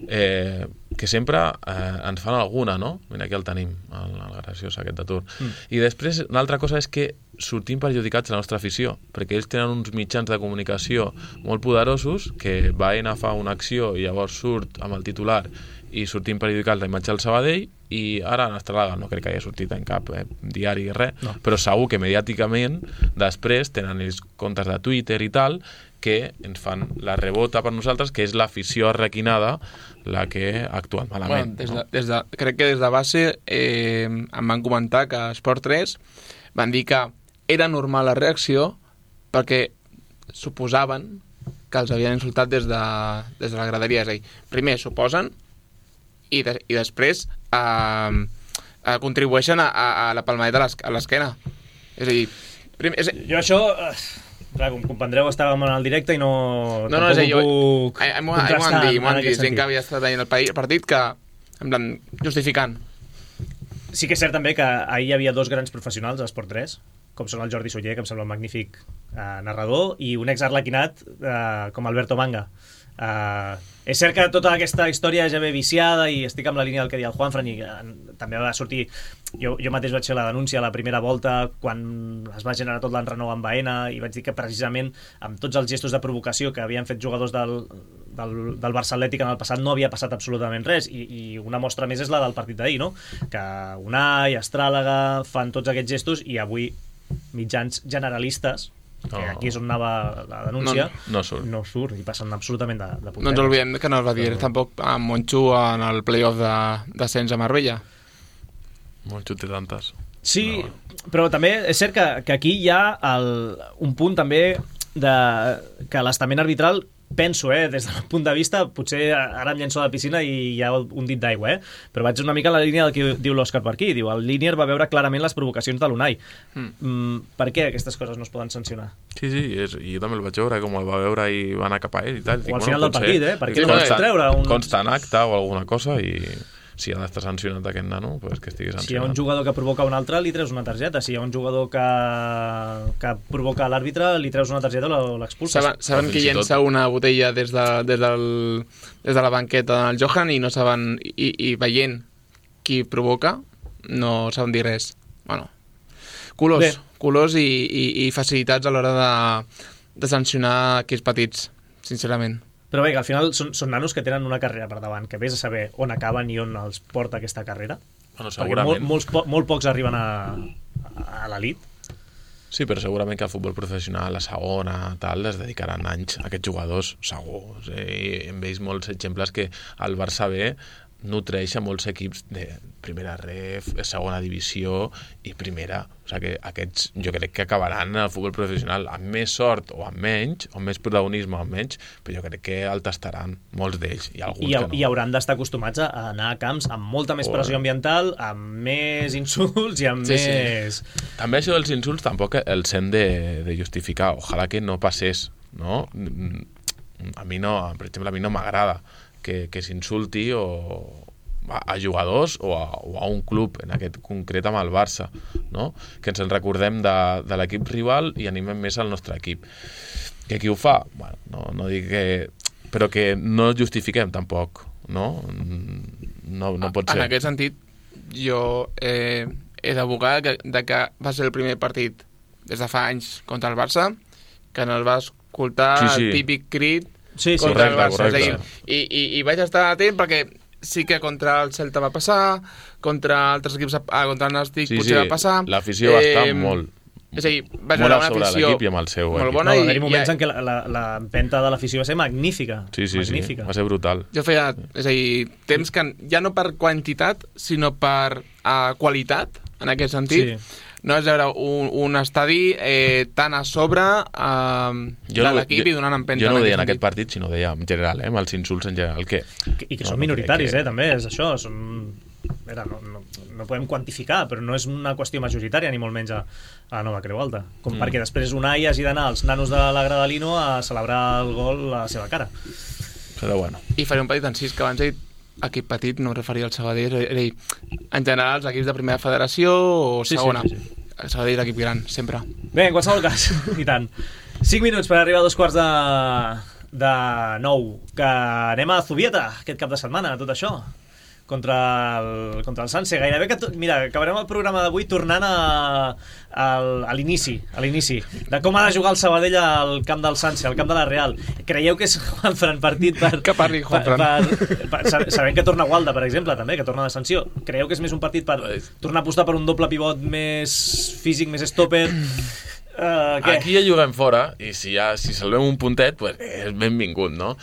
eh, que sempre eh, ens fan alguna, no? Mira, aquí el tenim, el, el graciós aquest d'atur. Mm. I després, una altra cosa és que sortim perjudicats a la nostra afició, perquè ells tenen uns mitjans de comunicació molt poderosos que Baena fa una acció i llavors surt amb el titular i sortim perjudicats la imatge del Sabadell, i ara en Astrálaga no crec que hagi sortit en cap eh, diari i res, no. Però segur que mediàticament després tenen els comptes de Twitter i tal que ens fan la rebota per nosaltres, que és l'afició arrequinada la que ha actuat malament.
Bueno, des de,
no?
des de, crec que des de base eh, em van comentar que a Esport tres van dir que era normal la reacció perquè suposaven que els havien insultat des de, des de la graderia. És a dir, primer suposen i, de, i després eh, eh, contribueixen a, a, a la palmadeta a l'esquena. És a dir, primer, és...
jo això... Clar, com comprendreu, estàvem en el directe i no...
No, no, és a dir,
jo...
M'ho han dit, m'ho han dit, gent que havia estat veient el partit que, en plan, justificant.
Sí que és cert també que ahir hi havia dos grans professionals a Esport tres, com són el Jordi Soller, que em sembla un magnífic eh, narrador, i un ex-arlequinat eh, com Alberto Manga, Uh, és cert que tota aquesta història ja ve viciada i estic amb la línia del que deia el Juanfran i uh, també va sortir, jo, jo mateix vaig fer la denúncia a la primera volta quan es va generar tot l'enrenou amb Baena i vaig dir que precisament amb tots els gestos de provocació que havien fet jugadors del, del, del Barça Atlètic en el passat no havia passat absolutament res i, i una mostra més és la del partit d'ahir, no? Que Unai, Astràlaga fan tots aquests gestos i avui mitjans generalistes que
No.
aquí és on anava la denúncia,
No, no surt.
no surt i passen absolutament de, de puntetes.
No ens oblidem que no es va dir
Però...
tampoc amb Monchu en el playoff de descens a Marbella.
Monchu té tantes.
Sí, no. Però també és cert que, que aquí hi ha el, un punt també de, que l'estament arbitral penso, eh, des del punt de vista, potser ara em llenço a la piscina i hi ha un dit d'aigua, eh? Però vaig una mica en la línia del que diu l'Òscar per aquí. Diu, el Línier va veure clarament les provocacions de l'Unai. Mm. Mm, per què aquestes coses no es poden sancionar?
Sí, sí, és, i jo també el vaig veure, com el va veure i va anar cap a ell i tal.
O al final del partit, eh? Per què no vas treure un...
Consta en acte o alguna cosa i si ha d'estar sancionat aquest nano, pues que estigui sancionat.
Si hi ha un jugador que provoca un altre, li treus una targeta. Si hi ha un jugador que, que provoca l'àrbitre, li treus una targeta o l'expulses.
Saben, saben qui llença tot... una botella des de, des, del, des de la banqueta del Johan i no saben, i, i veient qui provoca, no saben dir res. Bueno, colors, Bé. colors i, i, i facilitats a l'hora de, de sancionar aquells petits, sincerament.
Però bé, que al final són, són nanos que tenen una carrera per davant, que vés a saber on acaben i on els porta aquesta carrera.
Bueno,
segurament. Perquè molt, molts, po molt pocs arriben a, a l'elit.
Sí, però segurament que el futbol professional, la segona, tal, es dedicaran anys a aquests jugadors, segur. O sigui, hem vist molts exemples que el Barça B nutreix a molts equips de primera ref, segona divisió i primera. O sigui que aquests jo crec que acabaran en el futbol professional amb més sort o amb menys, o amb més protagonisme o amb menys, però jo crec que el tastaran molts d'ells i alguns
I,
que no.
I hauran d'estar acostumats a anar a camps amb molta més pressió ambiental, amb més insults i amb
sí,
més...
Sí. També això dels insults tampoc els hem de, de justificar. Ojalà que no passés, no? A mi no, per exemple, a mi no m'agrada que, que s'insulti o a, a jugadors o a, o a un club, en aquest concret amb el Barça, no? Que ens en recordem de, de l'equip rival i animem més al nostre equip. Que qui ho fa? Bueno, no, no dic que... Però que no justifiquem tampoc, no? No, no pot ser.
En aquest sentit, jo eh, he d'abogar que, de que va ser el primer partit des de fa anys contra el Barça, que no el va escoltar sí, sí. el típic crit
sí, sí,
contra
correcte,
el Barça.
correcte.
És a dir, i, i, I vaig estar atent perquè sí que contra el Celta va passar, contra altres equips, ah, contra el Nàstic
sí,
potser
sí.
va passar.
L'afició va estar molt...
És a dir, va ser una afició
i amb el seu
molt
equip.
bona.
No,
i,
va haver moments
i,
en què l'empenta de l'afició va ser magnífica.
Sí, sí,
magnífica.
sí, va ser brutal.
Jo feia, és a dir, temps que ja no per quantitat, sinó per uh, qualitat, en aquest sentit. Sí. No és veure un, un estadi eh, tan a sobre eh, de
no,
l'equip i donant empenta.
Jo no ho deia en aquest partit, sinó deia en general, eh, amb els insults en general. Que,
I que
no,
són
no
minoritaris,
que...
eh, també, és això. Són... Era, no, no, no podem quantificar, però no és una qüestió majoritària, ni molt menys a, a la Nova Creu Alta. Com mm. perquè després Unai hagi d'anar als nanos de la Gradalino a celebrar el gol a la seva cara.
Però bueno.
I faré un petit encís que abans he dit equip petit, no em referia al Sabadell, era dir, en general els equips de primera federació o
sí,
segona.
Sí, sí, sí.
El Sabadell és l'equip gran, sempre.
Bé, en qualsevol cas, i tant. cinc minuts per arribar a dos quarts de, de nou, que anem a Zubieta aquest cap de setmana, tot això. Contra el, contra el Sanse. Gairebé que... To... Mira, acabarem el programa d'avui tornant a, a, a l'inici, a l'inici, de com ha de jugar el Sabadell al camp del Sanse, al camp de la Real. Creieu que és Juanfran partit per...
Que parli Juanfran.
Per, per, per, sabem que torna Gualda, per exemple, també, que torna de sanció. Creieu que és més un partit per tornar a apostar per un doble pivot més físic, més stopper... Uh,
Aquí ja juguem fora i si, ja, si salvem un puntet pues, és benvingut, no?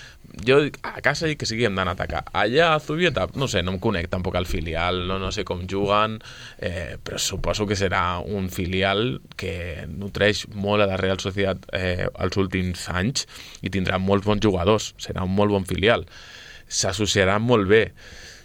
Jo a casa dic que sí que hem d'anar a atacar. Allà a Zubieta, no sé, no em conec tampoc al filial, no, no sé com juguen, eh, però suposo que serà un filial que nutreix molt a la Real Societat eh, els últims anys i tindrà molts bons jugadors, serà un molt bon filial. S'associarà molt bé.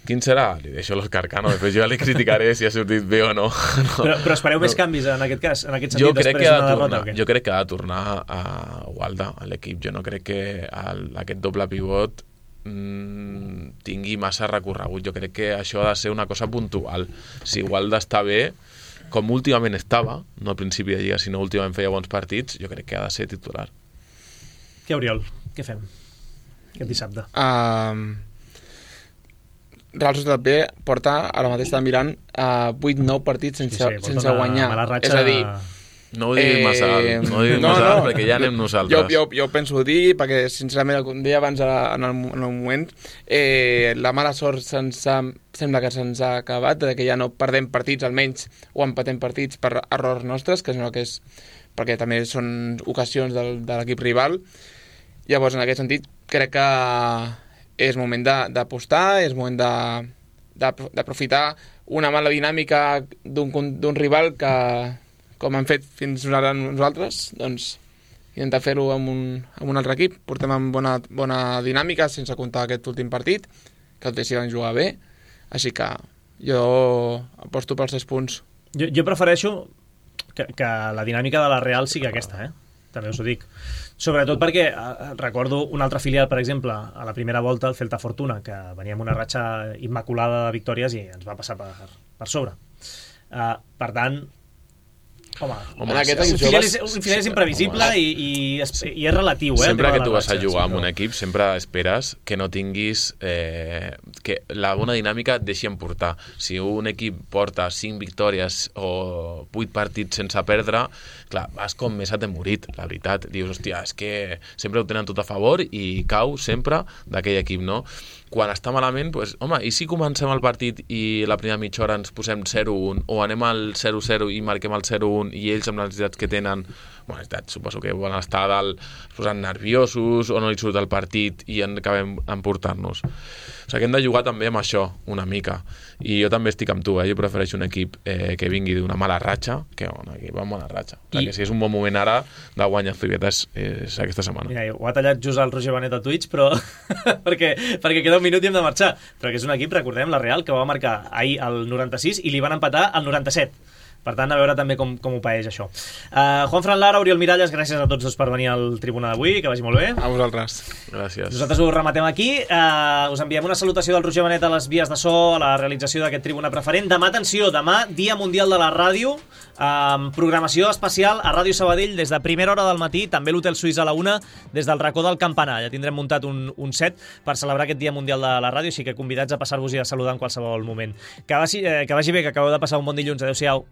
Quin serà? Li deixo l'Òscar Cano, després jo li criticaré si ha sortit bé o no. no.
Però, però espereu no. més canvis en aquest cas, en aquest sentit,
jo crec
després
que
d'una
tornar,
derrota?
Jo crec que ha de tornar a Gualda, a l'equip. Jo no crec que el, aquest doble pivot mmm, tingui massa recorregut. Jo crec que això ha de ser una cosa puntual. Si Gualda està bé, com últimament estava, no al principi de lliga, sinó últimament feia bons partits, jo crec que ha de ser titular.
Què, Oriol? Què fem? aquest dissabte.
Uh, Real Societat B porta, ara mateix estava mirant, uh, vuit nou partits sense,
Sí, sí,
sense
porta una
guanyar.
mala ratxa.
És a dir,
No ho diguis massa alt, no ho diguis massa alt, perquè ja anem nosaltres.
Jo, jo, jo penso dir, perquè sincerament, com deia abans en el, en el moment, eh, la mala sort se'ns ha, sembla que se'ns ha acabat, de que ja no perdem partits almenys, o empatem partits per errors nostres, que és que és, perquè també són ocasions del, de l'equip rival. Llavors, en aquest sentit, crec que és moment d'apostar, és moment d'aprofitar una mala dinàmica d'un rival que, com hem fet fins ara nosaltres, doncs intentar fer-ho amb, un, amb un altre equip. Portem amb bona, bona dinàmica, sense comptar aquest últim partit, que el T S van jugar bé, així que jo aposto pels tres punts.
Jo, jo prefereixo que, que la dinàmica de la Real sigui aquesta, eh? També us ho dic. Sobretot perquè eh, recordo un altre filial, per exemple, a la primera volta, el Celta Fortuna, que venia amb una ratxa immaculada de victòries i ens va passar per, per sobre. Uh, per tant, home, home un, filial és, un filial és imprevisible i, i, i és relatiu. Eh,
sempre que tu vas a jugar amb un equip, sempre esperes que no tinguis... Eh, que la bona dinàmica et deixi emportar. Si un equip porta cinc victòries o vuit partits sense perdre, clar, vas com més atemorit, la veritat. Dius, hòstia, és que sempre ho tenen tot a favor i cau sempre d'aquell equip, no? Quan està malament, doncs, home, i si comencem el partit i la primera mitja hora ens posem zero un, o anem al zero zero i marquem el zero un i ells amb les necessitats que tenen, bueno, necessitats, suposo que volen estar a dalt, es posen nerviosos o no hi surt el partit i en acabem emportant-nos. O sigui que hem de jugar també amb això, una mica. I jo també estic amb tu, eh? Jo prefereixo un equip eh, que vingui d'una mala ratxa que un equip amb mala ratxa. O sigui I... que si és un bon moment ara de guanyar Zubieta és, és aquesta setmana.
Mira, ho ha tallat just el Roger Benet a Twitch, però perquè, perquè queda un minut i hem de marxar. Però que és un equip, recordem, la Real, que va marcar ahir al noranta-sis i li van empatar al noranta-set. Per tant, a veure també com, com ho paeix això. Uh, Juan Fran Lara, Oriol Miralles, gràcies a tots dos per venir al Tribuna d'avui, que vagi molt bé.
A vosaltres.
Gràcies.
Nosaltres ho rematem aquí. Uh, us enviem una salutació del Roger Benet a les vies de so, a la realització d'aquest Tribuna Preferent. Demà, atenció, demà, Dia Mundial de la Ràdio, amb programació especial a Ràdio Sabadell des de primera hora del matí, també l'Hotel Suís a la una, des del racó del Campanar. Ja tindrem muntat un, un set per celebrar aquest Dia Mundial de la Ràdio, així que convidats a passar-vos i a saludar en qualsevol moment. Que vagi, eh, que vagi bé, que acabeu de passar un bon dilluns. Adéu-siau.